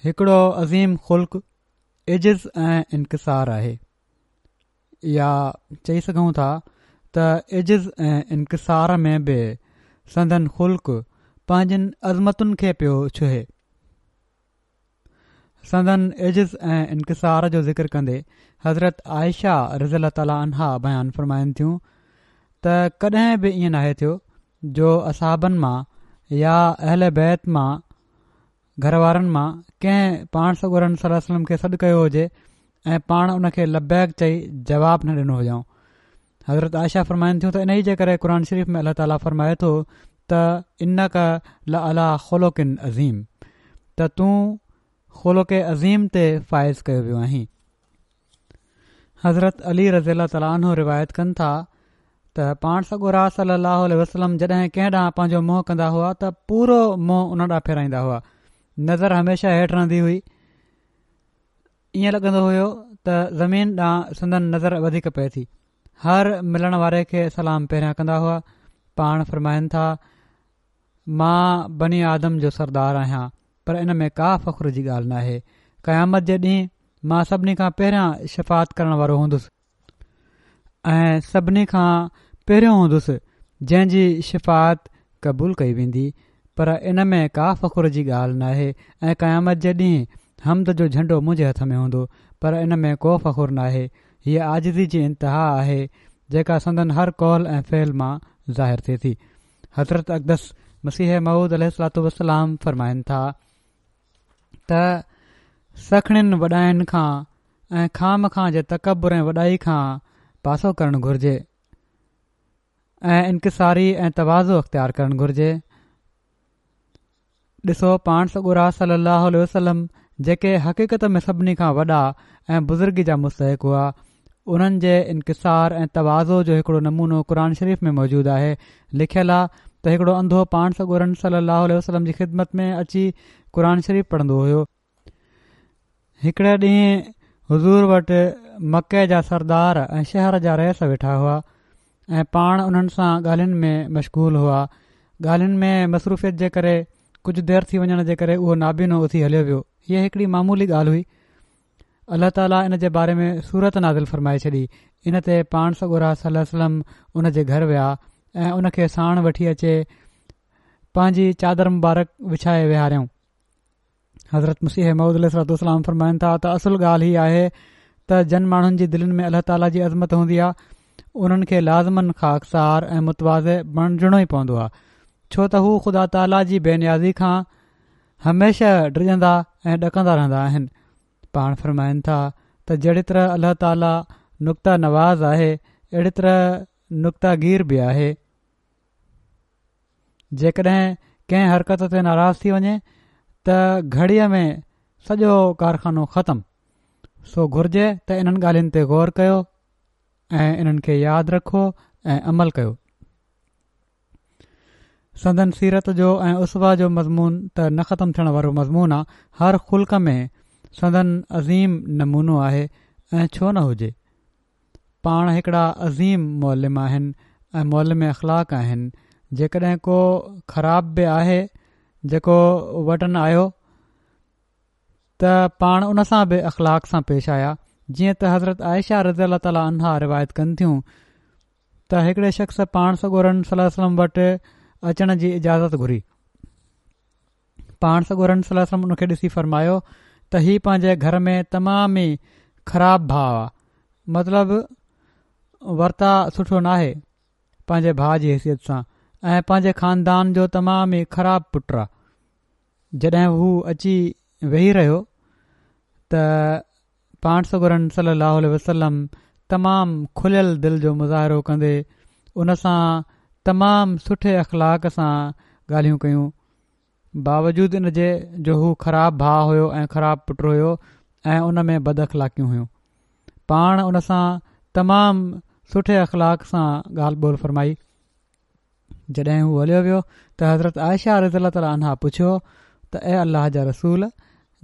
هڪڙو عظيم خلق عجز ۽ انڪسار آهي. يا چئي سگهون ٿا ته عجز ۽ انڪسار ۾ به سندن خلق پنهنجين عظمتن کي پيو ڇهي. سندن عجز ۽ انڪسار جو ذڪر ڪندي حضرت عائشه رضي الله تعالٰي عنها بيان فرمائن ٿيون ته ڪڏهن به ائين ناهي ٿيو جو اصحابن مان يا اهل بيت مان گهر وارن مان ڪنهن پاڻ سڳورن صلي الله عليه وسلم کي سڏ ڪيو هجي ۽ پاڻ ان کي لبيڪ چئي جواب نه ڏنو هجائون حضرت عائشه فرمائن ٿيون ته انهي جي ڪري قرآن شريف ۾ الله تعاليٰ فرمائي ٿو ته انڪ لعليٰ خلق عظيم ته تون خلق عظيم تي فائز ڪيو ويو آهين حضرت علي رضي الله تعالٰي عنه روايت ڪن ٿا ته پاڻ سڳورا صلي الله عليه وسلم جڏهن ڪنهن ڏانهن پنهنجو منهن ڪندا هئا ته پورو منهن ان ڏانهن ڦيرائيندا هئا نظر هميشه هيٺ رهندي هئي ائين لڳندو هيو ته زمين ڏانهن سندن نظر وڌيڪ پئي ٿي هر ملڻ واري کي سلام پهريان ڪندا هئا پاڻ فرمائن ٿا مان بني آدم جو سردار آهيان پر ان ۾ ڪا فخر جي ڳالهه ناهي. قيامت جي ڏينهن مان سڀني کان پهريان شفاعت ڪرڻ وارو هوندس ۽ سڀني کان پهريون هوندس جنهن جي شفاعت قبول ڪئي ويندي پر ان ۾ ڪا فخر جي ڳالهه ناهي ۽ قيامت جي ڏينهن حمد جو جهنڊو منهنجي هٿ ۾ هوندو پر ان ۾ ڪو فخر ناهي هيء عاجزي جي انتها آهي جيڪا سندن هر قول ۽ فعل مان ظاهر ٿئي ٿي. حضرت اقدس مسيح موعود عليه الصلوة والسلام فرمائن ٿا ته سکڻين وڏاين کان ۽ خوامخواه جي تڪبر ۽ وڏائي کان پاسو ڪرڻ گهرجي. ۽ انڪساري ۽ تواضع اختيار ڪرڻ گهرجي. ڏسو پاڻ سڳورا صلّي اللّٰه عليه وسلّم جيڪي حقيقت ۾ سڀني کان وڏا ۽ بزرگي جا مستحق هئا انهن جي انڪسار ۽ تواضع جو هڪڙو نمونو قرآن شريف ۾ موجود آهي لکيل آ ته هڪڙو انڌو پاڻ سڳورن صلّي اللّٰه عليه وسلّم جي خدمت ۾ اچي قرآن شريف پڙهندو هيو هڪڙي ڏينهن حضور وٽ مڪي جا سردار ۽ شهر جا رئيس ويٺا هئا ۽ پاڻ انهن سان ڳالهين ۾ مشغول هئا. ڳالهين ۾ مصروفيت جي ڪري ڪجهه دير ٿي وڃڻ جي ڪري اهو نابينو اٿي هليو ويو. هيء هڪڙي معمولي ڳالهه هئي. الله تعاليٰ ان جي باري ۾ سورت نازل فرمائي ڇڏي. ان تي پاڻ سڳورا صلي الله عليه وسلم ان جي گهر ويا ۽ ان کي ساڻ وٺي اچي پنهنجي چادر مبارڪ وڇائي ويهاريائون. حضرت مسيح موعود عليه الصلوة والسلام فرمائن ٿا ته اصل ڳالهه هي آهي ته جن ماڻهن جي دلين ۾ الله تعاليٰ جي عظمت هوندي آهي انهن کي لازماً خاڪسار ۽ متواضع بڻجڻو ئي پوندو آهي ڇو ته هو خدا تعاليٰ جي بي نيازي کان هميشه ڊڄندا ۽ ڏڪندا رهندا آهن پاڻ فرمائن ٿا ته جهڙي طرح الله تعاليٰ نڪته نواز آهي اهڙي طرح نڪته گير به آهي جيڪڏهن ڪنهن حرڪت تي ناراض ٿي وڃي ته گهڙيء ۾ سڄو ڪارخانو ختم. سو گهرجي ته انهن ڳالهين تي غور ڪيو ۽ انهن کي ياد رکو ۽ عمل ڪيو. سندن سيرت جو ۽ اسوه جو مضمون ته نه ختم ٿيڻ وارو مضمون آ، هر خلق ۾ سندن عظيم نمونو آهي ۽ ڇو نه هجي. پاڻ هڪڙا عظيم معلم آهن ۽ معلم اخلاق آهن جيڪڏهن ڪو خراب به آهي جيڪو وٽن آيو ته پاڻ ان سان به اخلاق سان پيش آيا جيئن ته حضرت عائشه رضي الله تعالٰي عنها روايت ڪن ٿيون ته هڪڙي شخص پاڻ سڳورن صلي الله عليه وسلم وٽ اچڻ جي اجازت گهري پاڻ سڳورن صلي الله عليه وسلم ان کي ڏسي فرمايو ته هي پنهنجي گهر ۾ تمام ئي خراب ڀاء آ مطلب ورتاء سٺو ناهي پنهنجي ڀاء جي حيثيت سان ۽ پنهنجي خاندان جو تمام ئي خراب پٽ آ جڏهن هو اچي ويهي رهيو ته پاڻ سڳورن صلي الله عليه وسلم تمام کليل دل جو مظاهرو ڪندي ان سان تمام سٺي اخلاق سان ڳالهيون ڪيون باوجود ان جي جو هو خراب ڀاء هيو ۽ خراب پٽ هيو ۽ ان ۾ بد اخلاقيون هيون پاڻ ان سان تمام سٺي اخلاق سان ڳالهه ٻولهه فرمائي جڏهن هو هليو ويو ته حضرت عائشه رضي الله تعالٰي عنها پڇيو ته اي الله جا رسول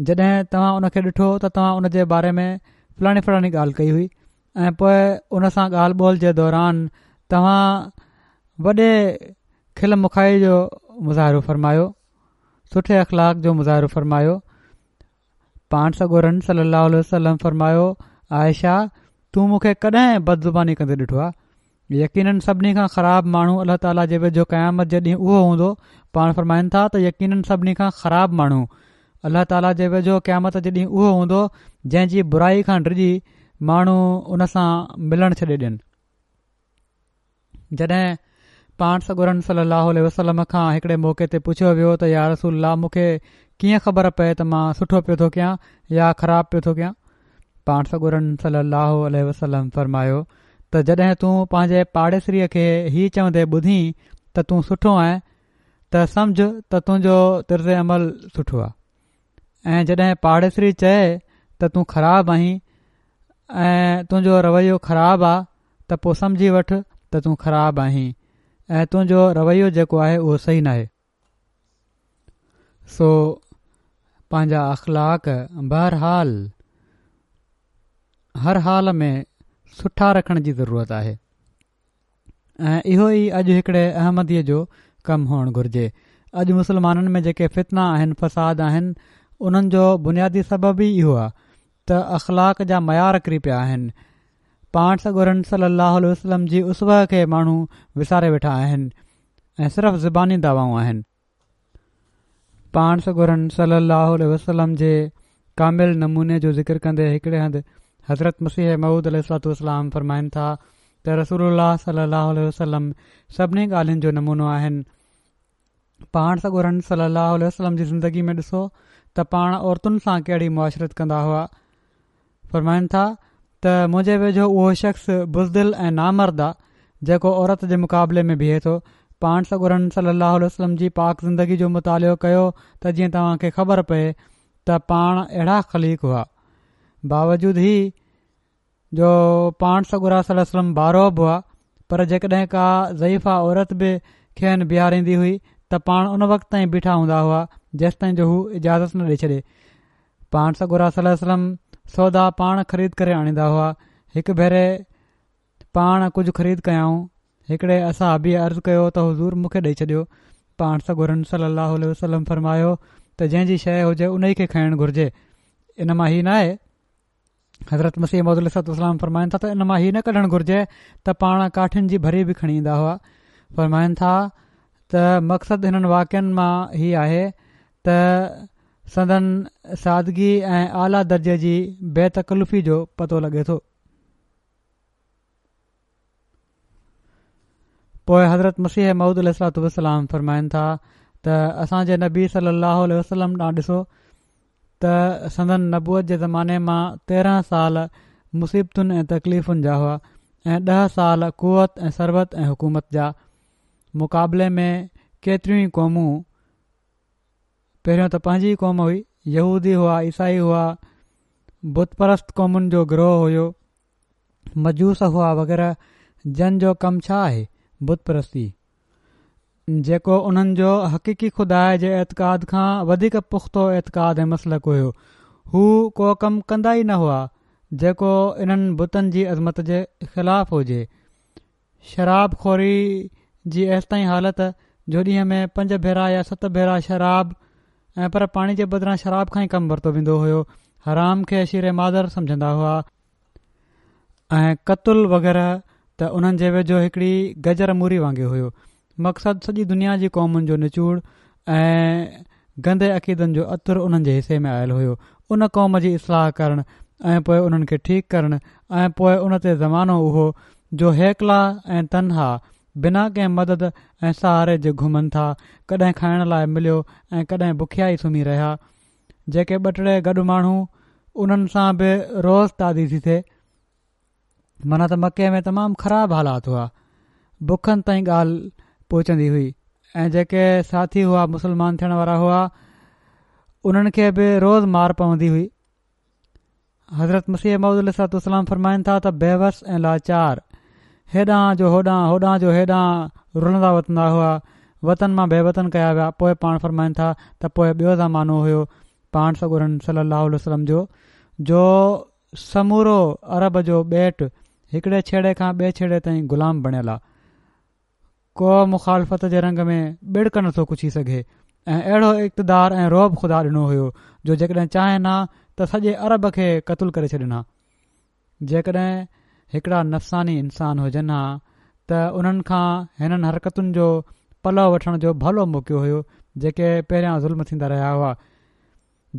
جڏهن توهان ان کي ڏٺو ته توهان ان جي باري ۾ فلاڻي فلاڻي ڳالهه ڪئي هئي ۽ پوء ان سان ڳالهه ٻولهه جي دوران توهان وڏي کل مکائي جو مظاهرو فرمايو سٺي اخلاق جو مظاهرو فرمايو پاڻ سڳورن صلّي اللّٰه عليه وسلّم فرمايو، عائشه! تون مون کي ڪڏهن بدزباني ڪندي ڏٺو آهي؟ يقيناً سڀني کان خراب ماڻهو الله تعاليٰ جي ويجهو قيامت جي ڏينهن اهو هوندو، پاڻ فرمائن ٿا ته يقيناً سڀني کان خراب ماڻهو الله تعاليٰ جي ويجهو قيامت جي ڏينهن اهو هوندو جنهن جي برائي کان ڊڄي ماڻهو ان سان ملڻ ڇڏي ڏين. جڏهن پاڻ سڳورن صلي الله عليه وسلم کان هڪڙي موقعي تي پڇيو ويو ته يا رسول الله مون کي ڪيئن خبر پئي ته مان سٺو پيو ٿو ڪيان يا خراب پيو ٿو ڪيان پاڻ سڳورن صلي الله عليه وسلم فرمايو ته جڏهن تون پنهنجي پاڙيسريء کي هي چوندي ٻڌين ته تون سٺو آهين ته سمجه ته تنهنجو طرز عمل سٺو آهي ۽ جڏهن پاڙيسري چئي ته تون خراب آهين ۽ تنهنجو رويو خراب آ ته پوء سمجهي وٺ ته تون خراب آهين ۽ تنهنجو رويو جيڪو آهي اهو صحيح ناهي. سو پنهنجا اخلاق بهرحال هر حال ۾ سٺا رکڻ جي ضرورت آهي. ۽ اهو ئي اڄ هڪڙي احمديء جو ڪم هئڻ گهرجي. اڄ مسلمانن ۾ جيڪي فتنا آهن، فساد آهن، انهن جو بنيادي سبب ئي اهو آهي ته اخلاق جا معيار ڪري پيا آهن. پاڻ سڳورن صلي الله عليه وسلم جي اسوه کي ماڻهو وساري ويٺا آهن ۽ صرف زباني دعوائون آهن. پاڻ سڳورن صلّي اللّٰه عليه وسلّم جي ڪامل نموني جو ذڪر ڪندي هڪڙي هنڌ حضرت مسيح موعود عليه الصلوة والسلام فرمائن ٿا ته رسول الله صلّي اللّٰه عليه وسلّم سڀني ڳالهين جو نمونو آهن. پاڻ سڳورن صلّي اللّٰه عليه وسلّم جي زندگي ۾ ڏسو ته پاڻ عورتن سان ڪهڙي معاشرت ڪندا هئا. فرمائن ٿا ته منهنجي ويجهو اهو شخص بزدل ۽ نامرد آ. جيڪو عورت جي مقابلي ۾ بيهي ٿو. پاڻ سڳورن صلي الله عليه وسلم جي پاڪ زندگي جو مطالعو ڪيو ته جيئن توهان کي خبر پئي ته پاڻ اهڙا خليق هئا. باوجود هي جو پاڻ سڳورا صلي الله عليه وسلم بارعب هئا پر جيڪڏهن ڪا ضعيفه عورت به کين بيهاريندي هئي ته پاڻ ان وقت تائين بيٺا هوندا هئا جيستائين جو هو اجازت نه ڏئي ڇڏي. پاڻ سڳورا صلي الله عليه وسلم سودا پاڻ خريد ڪري آڻيندا هئا. هڪ ڀيري پاڻ ڪجهه خريد ڪيائون. هڪڙي اصحابيء عرض ڪيو ته حضور مون کي ڏئي ڇڏيو. پاڻ سڳورن صلي الله عليه وسلم فرمايو ته جنهن جي شيء هجي انهي کي کڻڻ گهرجي. ان مان هي ناهي حضرت مسيح موعود عليه الصلوة والسلام فرمائن ٿا ته ان مان هي نه ڪڍڻ گهرجي ته پاڻ ڪاٺين جي ڀري به کڻي ايندا هئا. فرمائن ٿا ته مقصد هنن واقعن مان هي آهي ته سندن سادگي ۽ اعليٰ درجي جي بي تڪلفي جو پتو لڳي ٿو. پوء حضرت مسيح موعود عليه الصلوة والسلام فرمائن ٿا ته اسان جي نبي صلي الله عليه وسلم ڏانهن ڏسو ته سندن نبوت جي زماني مان 13 سال مصيبتن ۽ تڪليفن جا هئا ۽ 10 سال قوت ۽ ثروت ۽ حڪومت جا مقابلي ۾ ڪيتريون ئي قومون پهريون ته پنهنجي ئي قوم هئي، يهودي هئا، عيسائي هئا، بت پرست قومن جو گروهه هيو، مجوس هئا وغيره جن جو ڪم ڇا آهي؟ بت پرستي. جيڪو انهن جو حقيقي خدا جي اعتقاد کان وڌيڪ پختو اعتقاد ۽ مسلڪ هيو. هو ڪو ڪم ڪندا ئي نه هئا جيڪو انهن بتن جي عظمت جي خلاف هجي. شراب خوري جي ايستائين حالت جو ڏينهن ۾ پنج ڀيرا يا ست ڀيرا شراب ۽ پر پاڻي جي بدران شراب کان ئي ڪم ورتو ويندو هيو حرام کي شير مادر سمجهندا هئا ۽ قتل وغيره ته انهن جي ويجهو هڪڙي گجر موري وانگي هيو مقصد سڄي دنيا جي قومن جو نچوڙ ۽ گندي عقيدن جو عطر انهن جي حصي ۾ آيل هيو. ان قوم جي اصلاح ڪرڻ ۽ پوء انهن کي ٺيڪ ڪرڻ ۽ پوء ان تي زمانو اهو جو هيڪلا ۽ تنها بنا ڪنهن مدد ۽ سهاري جي گهمن ٿا، ڪڏهن کائڻ لاء مليو ۽ ڪڏهن بکيا ئي سمهي رهيا. جيڪي ٻه ٽي گڏ ماڻهو انهن سان به روز تعدي ٿي ٿئي. معنيٰ ته مڪي ۾ تمام خراب حالات هئا بکن تائين ڳالهه پهچندي هئي ۽ جيڪي ساٿي هئا مسلمان ٿيڻ وارا هئا انهن کي به روز مار پوندي هئي حضرت مسيح موعود عليه الصلوة والسلام فرمائن ٿا ته بيوس ۽ لاچار هيڏانهن جو هوڏانهن هوڏانهن جو هيڏانهن رلندا وتندا هئا وطن مان بي وطن ڪيا ويا پوء پاڻ فرمائن ٿا ته پوء ٻيو زمانو هيو پاڻ سڳورن صلي الله عليه وسلم جو جو سمورو عرب جو ٻيٽ هڪڙي ڇيڙي کان ٻئي ڇيڙي تائين غلام بڻيل آ. ڪو مخالفت جي رنگ ۾ ٻڙڪ نه ٿو ڪڇي سگهي ۽ اهڙو اقتدار ۽ رعب خدا ڏنو هيو جو جيڪڏهن چاهين ها ته سڄي عرب کي قتل ڪري ڇڏين ها. جيڪڏهن هڪڙا نفساني انسان هجن ها ته انهن کان هنن حرڪتن جو پلئه وٺڻ جو ڀلو موقعو هيو جيڪي پهريان ظلم ٿيندا رهيا هئا.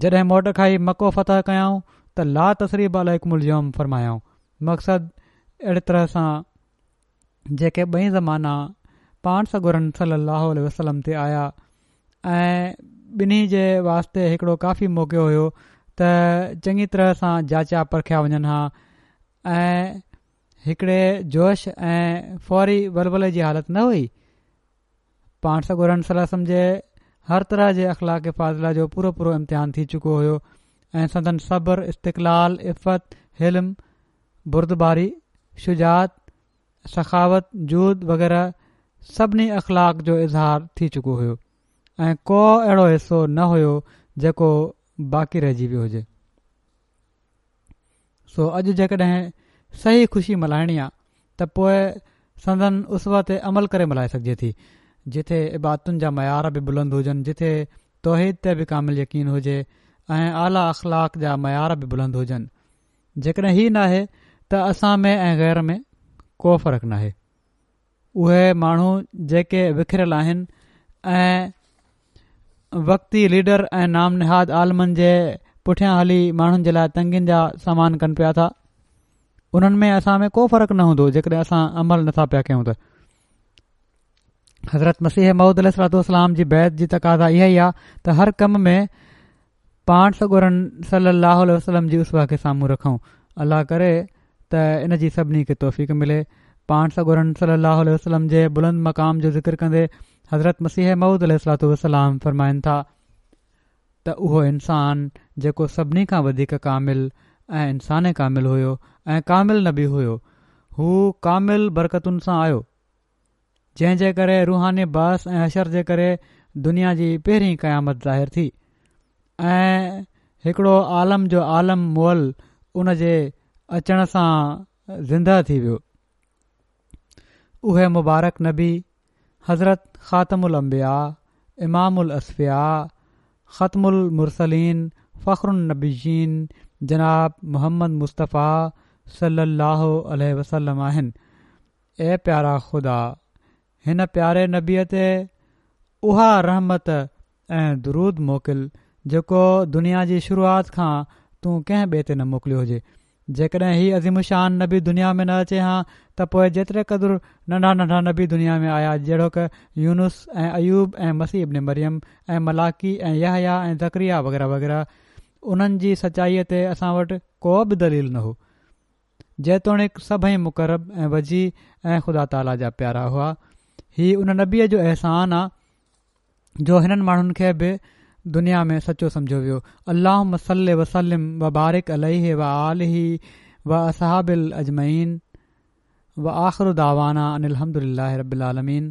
جڏهن موٽ کائي مڪو فتح ڪيائون ته لا تثريب عليڪم اليوم فرمايائون مقصد اهڙي طرح سان جيڪي ٻئي زمانا پاڻ سڳورن صلي الله عليه وسلم تي آيا ۽ ٻنهي جي واسطي هڪڙو ڪافي موقعو هيو ته چڱي طرح سان جاچيا پرکيا وڃن ها ۽ هڪڙي جوش ۽ فوري ولولي جي حالت نه هئي پاڻ سڳورن صلي الله عليه وسلم جي هر طرح جي اخلاق فاضله جو پورو پورو امتحان ٿي چڪو هيو ۽ سندن صبر، استقلال، عفت، حلم، بردباري، شجاعت، سخاوت، جود وغيره سڀني اخلاق جو اظهار ٿي چڪو هيو ۽ ڪو اهڙو حصو نه هيو جيڪو باقي رهجي ويو هجي. سو اڄ جيڪڏهن صحيح خوشي ملهائڻي آ ته پوء سندن اسوه تي عمل ڪري ملهائي سگهجي ٿي جتي عبادتن جا معيار به بلند هجن جتي توحيد تي به ڪامل يقين هجي ۽ اعليٰ اخلاق جا معيار به بلند هجن جيڪڏهن هي ناهي ته اسان ۾ ۽ غير ۾ ڪو فرق ناهي اهي ماڻهو جيڪي وکريل آهن ۽ وقتي ليڊر ۽ نام نهاد عالمن جي پٺيان هلي ماڻهن جي لاء تنگين جا سامان ڪن پيا ٿا انهن ۾ اسان ۾ ڪو فرق نه هوندو جيڪڏهن اسان عمل نٿا پيا ڪيون ته حضرت مسيح موعود عليه الصلوة والسلام جي بيعت جي تقاضا اها ئي آهي ته هر ڪم ۾ پاڻ سڳورن صلّي اللّٰه عليه وسلّم جي اسوه کي سامهون رکون الله ڪري ته ان جي سڀني کي توفيق ملي. پاڻ سڳورن صلي الله عليه وسلم جي بلند مقام جو ذڪر ڪندي حضرت مسيح موعود عليه الصلوة والسلام فرمائن ٿا ته اهو انسان جيڪو سڀني کان وڌيڪ ڪامل ۽ انسان ڪامل هيو ۽ ڪامل نبي هيو هو ڪامل برڪتن سان آيو جنهن جي ڪري روحاني بعث ۽ حشر جي ڪري دنيا جي پهرين قيامت ظاهر ٿي ۽ هڪڙو عالم جو عالم مئل ان جي اچڻ سان زنده ٿي ويو. اهي مبارڪ نبي حضرت خاتم الانبياء، امام الاصفياء، ختم المرسلين، فخر النبيين جناب محمد مصطفيٰ صلي الله عليه وسلم آهن. اي پيارا خدا! هن پياري نبيء تي اها رحمت ۽ درود موڪل جيڪو دنيا جي شروعات کان تون ڪنهن ٻئي تي نه موڪليو هجي. جيڪڏهن هي عظيم الشان نبي دنيا ۾ نه اچي هان ته پوء جيتري قدر ننڍا ننڍا نبي دنيا ۾ آيا جهڙوڪ يونس ۽ ايوب ۽ مسيح ابن مريم ۽ ملاڪي ۽ يحيٰ ۽ زڪريا وغيره وغيره انهن جي سچائيء تي اسان وٽ ڪو به دليل نه هو. جيتوڻيڪ سڀئي مقرب ۽ وجيه ۽ خدا تعاليٰ جا پيارا هئا. هي ان نبيء جو احسان آ جو هنن ماڻهن کي به دنيا ۾ سچو سمجهيو ويو. اللهم صل وسلم وبارڪ عليه وآله واصحابه اجمعين وآخر دعوانا ان الحمد لله رب العالمين.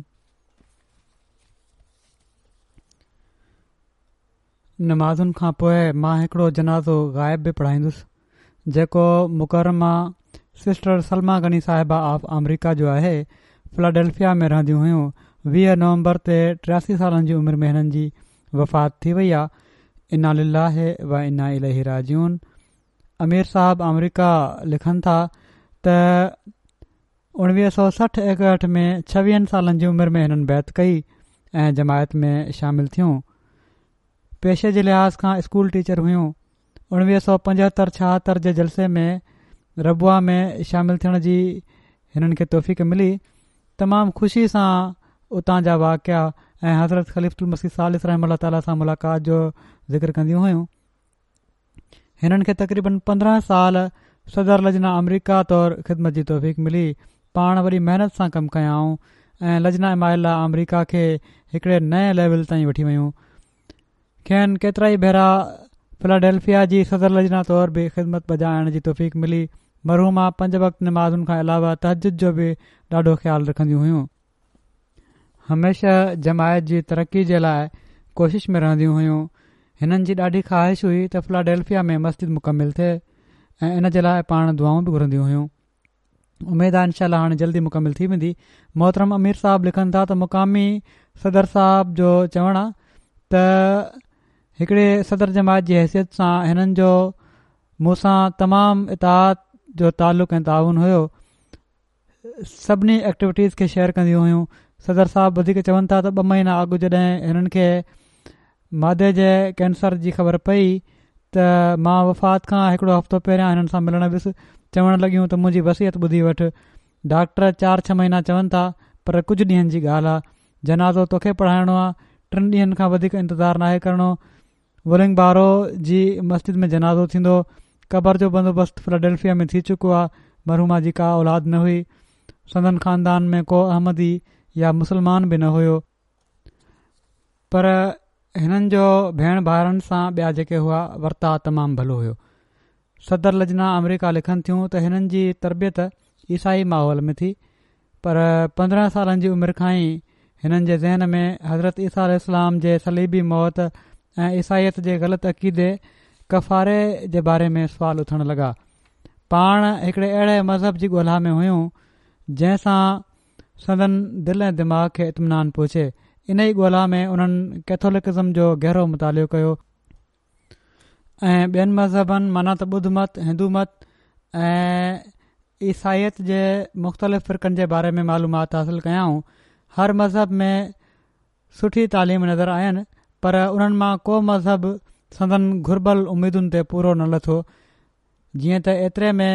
نمازن کان پوء مان هڪڙو جنازو غائب به پڙهائيندس. جيڪو مڪرمه سسٽر سلميٰ غني صاحبه آف آمريڪا جو آهي، فلاڊيلفيا ۾ رهنديون هيون، 20 نومبر تي 83 سالن جي عمر ۾ هنن جي وفات ٿي وئي آ، انا لله و انا اليه راجعون امير صاحب آمريڪا لکن ٿا ته 1960 61 ۾ ڇويهن سالن جي عمر ۾ هنن بيعت ڪئي ۽ جماعت ۾ شامل ٿيون. پيشي جي لحاظ کان اسڪول ٽيچر هيون. 1975 76 جي جلسي ۾ ربوه ۾ شامل ٿيڻ جي هنن کي توفيق ملي. تمام خوشي سان اتان جا واقعا ۽ حضرت خليفة المسيح ثالث رحمه الله تعاليٰ سان ملاقات جو ذڪر ڪنديون هيون. هنن کي تقريبن 15 سال صدر لجنه آمريڪا طور خدمت جي توفيق ملي. پاڻ وڏي محنت سان ڪم ڪيائون ۽ لجنه اماء الله آمريڪا کي هڪڙي نئين ليول تائين وٺي ويون. کين ڪيترائي ڀيرا فلاڊيلفيا جي صدر لجنه طور به خدمت بجا آڻڻ جي توفيق ملي. مرحومه پنج وقت نمازن کان علاوه تهجد جو به ڏاڍو خيال رکنديون هيون. هميشه جماعت جي ترقي جي لاء ڪوشش ۾ رهنديون هيون. هنن جي ڏاڍي خواهش هئي ته فلاڊيلفيا ۾ مسجد مڪمل ٿئي ۽ ان جي لاء پاڻ دعائون به گهرنديون هيون. اميد آهي انشاء الله هاڻي جلدي مڪمل ٿي ويندي. محترم امير صاحب لکن ٿا ته مقامي صدر صاحب جو چوڻ آ ته هڪڙي صدر جماعت جي حيثيت سان هنن جو مون سان تمام اطاعت جو تعلق ۽ تعاون هيو سڀني ايڪٽيوٽيز کي شيئر ڪنديون هيون صدر صاحب وڌيڪ چون ٿا ته ٻه مهينا اڳ جڏهن هنن کي معدي جي ڪينسر جي خبر پئي ته مان وفات کان هڪڙو هفتو پهريان هنن سان ملڻ ويس، چوڻ لڳيون ته منهنجي وصيت ٻڌي وٺ، ڊاڪٽر چار ڇهه مهينا چون ٿا پر ڪجهه ڏينهن جي ڳالهه آ، جنازو توکي پڙهائڻو آ، ٽن ڏينهن کان وڌيڪ انتظار ناهي ڪرڻو، ولنگ بارو جي مسجد ۾ جنازو ٿيندو، قبر جو بندوبست فلاڊيلفيا ۾ ٿي چڪو آ، مرحومه جي ڪا اولاد نه هئي، سندن خاندان ۾ ڪو احمدي يا مسلمان به نه هيو. پر هنن جو ڀيڻ ڀائرن سان ٻيا جيڪي هئا ورتاء تمام ڀلو هيو. صدر لجنه آمريڪا لکن ٿيون ته هنن جي تربيت عيسائي ماحول ۾ ٿي پر 15 سالن جي عمر کان ئي هنن جي ذهن ۾ حضرت عيسيٰ عليه السلام جي صليبي موت ۽ عيسائيت جي غلط عقيدي ڪفاري جي باري ۾ سوال اٿڻ لڳا. پاڻ هڪڙي اهڙي مذهب جي ڳولها ۾ هيون جنهن سان سندن دل ۽ دماغ کي اطمينان پهچي. انهيء ڳولا ۾ انهن ڪيٿولڪزم جو گهرو مطالعو ڪيو ۽ ٻين مذهبن معنيٰ ته ٻڌ مت، هندو مت ۽ عيسائيت جي مختلف فرقن جي باري ۾ معلومات حاصل ڪيائون. هر مذهب ۾ سٺي تعليم نظر آين پر انهن مان ڪو مذهب سندن گهربل اميدن تي پورو نه لٿو. جيئن ته ايتري ۾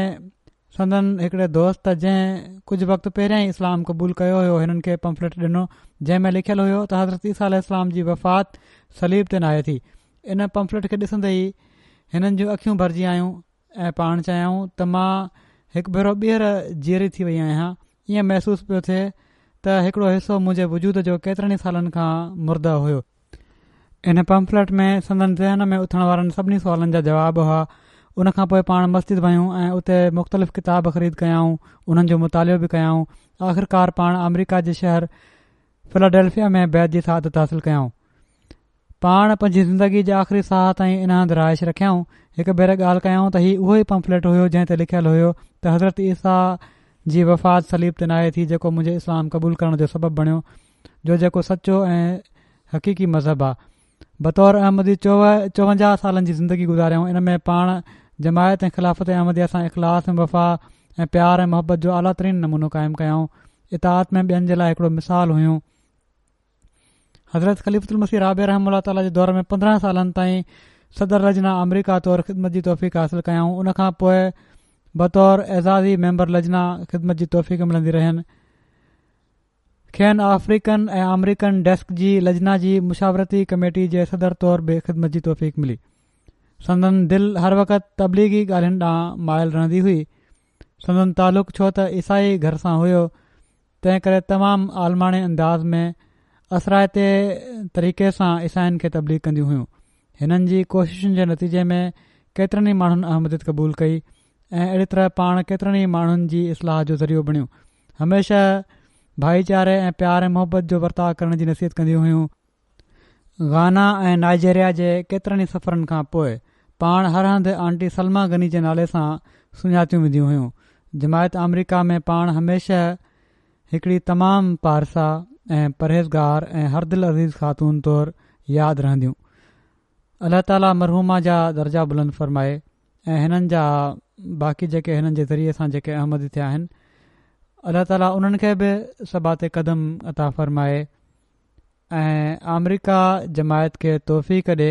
سندن هڪڙي دوست جنهن ڪجهه وقت پهريان ئي اسلام قبول ڪيو هيو هنن کي پمفلٽ ڏنو جنهن ۾ لکيل هيو ته حضرت عيسيٰ عليه السلام جي وفات صليب تي ناهي ٿي ان پمفلٽ کي ڏسندي ئي هنن جون اکيون ڀرجي آيون ۽ پاڻ چيائون ته مان هڪ ڀيرو ٻيهر جيئري ٿي وئي آهيان. ائين محسوس پيو ٿئي ته هڪڙو حصو منهنجي وجود جو ڪيترن ئي سالن کان مرده هيو. ان پمفليٽ ۾ سندن ذهن ۾ اٿڻ وارن سڀني سوالن جا جواب هئا. ان کان پوء پاڻ مسجد ويون ۽ اتي مختلف ڪتاب خريد ڪيائون، انهن جو مطالعو به ڪيائون. آخرڪار پاڻ آمريڪا جي شهر فلاڊيلفيا ۾ بيعت جي سعادت حاصل ڪيائون. پاڻ پنهنجي زندگي جي آخري ساهه تائين ان هنڌ رهائش رکيائون. هڪ ڀيري ڳالهه ڪيائون ته هي اهو ئي پمفليٽ هيو جنهن تي لکيل هيو ته حضرت عيسيٰ جي وفات صليب تي ناهي ٿي جيڪو منهنجي اسلام قبول ڪرڻ جو سبب بڻيو جو جيڪو سچو ۽ حقيقي مذهب آ. بطور احمدي 54 سالن جي زندگي گذاريائون ان ۾ پاڻ جماعت ۽ خلافت احمديه سان اخلاص ۽ وفا ۽ پيار ۽ محبت جو اعليٰ ترين نمونو قائم ڪيائون. اطاعت ۾ ٻين جي لاء هڪڙو مثال هيون. حضرت خليفة المسيح رابع رحمه الله تعاليٰ جي دور ۾ 15 سالن تائين صدر لجنه آمريڪا طور خدمت جي توفيق حاصل ڪيائون ان کان پوء بطور اعزازي ميمبر لجنه خدمت جي توفيق ملندي رهين کين آفريڪن ۽ آمريڪن ڊيسڪ جي لجنه جي مشاورتي ڪميٽي جي صدر طور به خدمت جي توفيق ملي سندن دل هر وقت تبليغي ڳالهين ڏانهن مائل رهندي هئي سندن تعلق ڇو ته عيسائي گهر سان هيو تنهن ڪري تمام عالماڻي انداز ۾ اثرائتي طريقي سان عيسائين کي تبليغ ڪنديون هيون. هنن جي ڪوششن جي نتيجي ۾ ڪيترن ئي ماڻهن احمديت قبول ڪئي ۽ اهڙي طرح پاڻ ڪيترن ئي ماڻهن جي اصلاح جو ذريعو بڻيون. هميشه ڀائيچاري ۽ پيار ۽ محبت جو ورتاء ڪرڻ جي نصيحت ڪنديون هيون. گانا ۽ نائجيريا جي ڪيترن ئي سفرن کان پوء پاڻ هر هنڌ آنٽي سلميٰ غني جي نالي سان سڃاتيون وينديون هيون. جماعت آمريڪا ۾ پاڻ هميشه هڪڙي تمام پارسا ۽ پرهيزگار ۽ هر دل عزيز خاتون طور ياد رهنديون. الله تعالي مرحومه جا درجا بلند فرمائي ۽ هنن جا باقي جيڪي هنن جي ذريعي سان جيڪي احمدي ٿيا آهن الله تعالي انهن کي به ثبات قدم عطا فرمائي. ۽ آمريڪا جماعت کي توفيق ڏي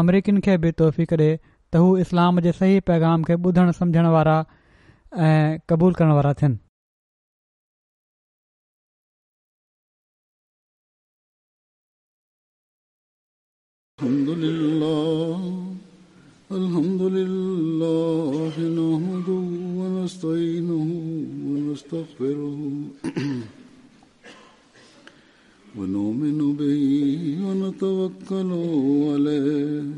آمريڪين کي به توفيق ڏي ته هو اسلام جي صحيح پيغام کي ٻڌڻ سمجهڻ وارا ۽ قبول ڪرڻ وارا ٿين. الحمد لله الحمد لله نحمده ونستعينه ونستغفره ونؤمن به ونتوكل عليه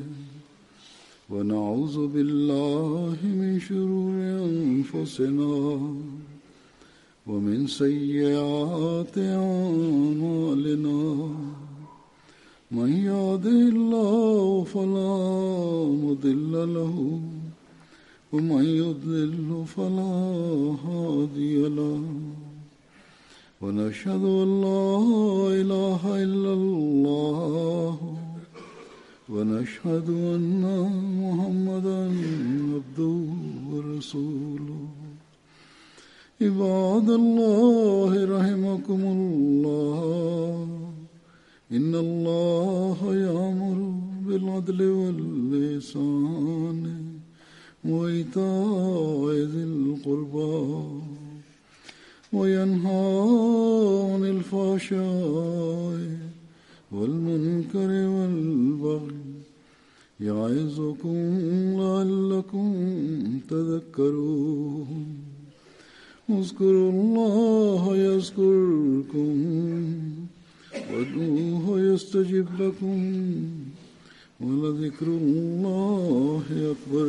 ونعوذ بالله من شرور أنفسنا ومن سيئات أعمالنا من يهده الله فلا مضل له ومن يضلل فلا هادي له ونشهد أن لا إله إلا الله ونشهد أن محمدا عبده ورسوله عباد الله رحمكم الله إن الله يأمر بالعدل واللسان وإيتاء ذي القربى وينهى عن الفحشاء والمنكر والبغي يعظكم لعلكم تذكرون اذكروا الله يذكركم وادعوه يستجب لكم ولذكر الله أكبر.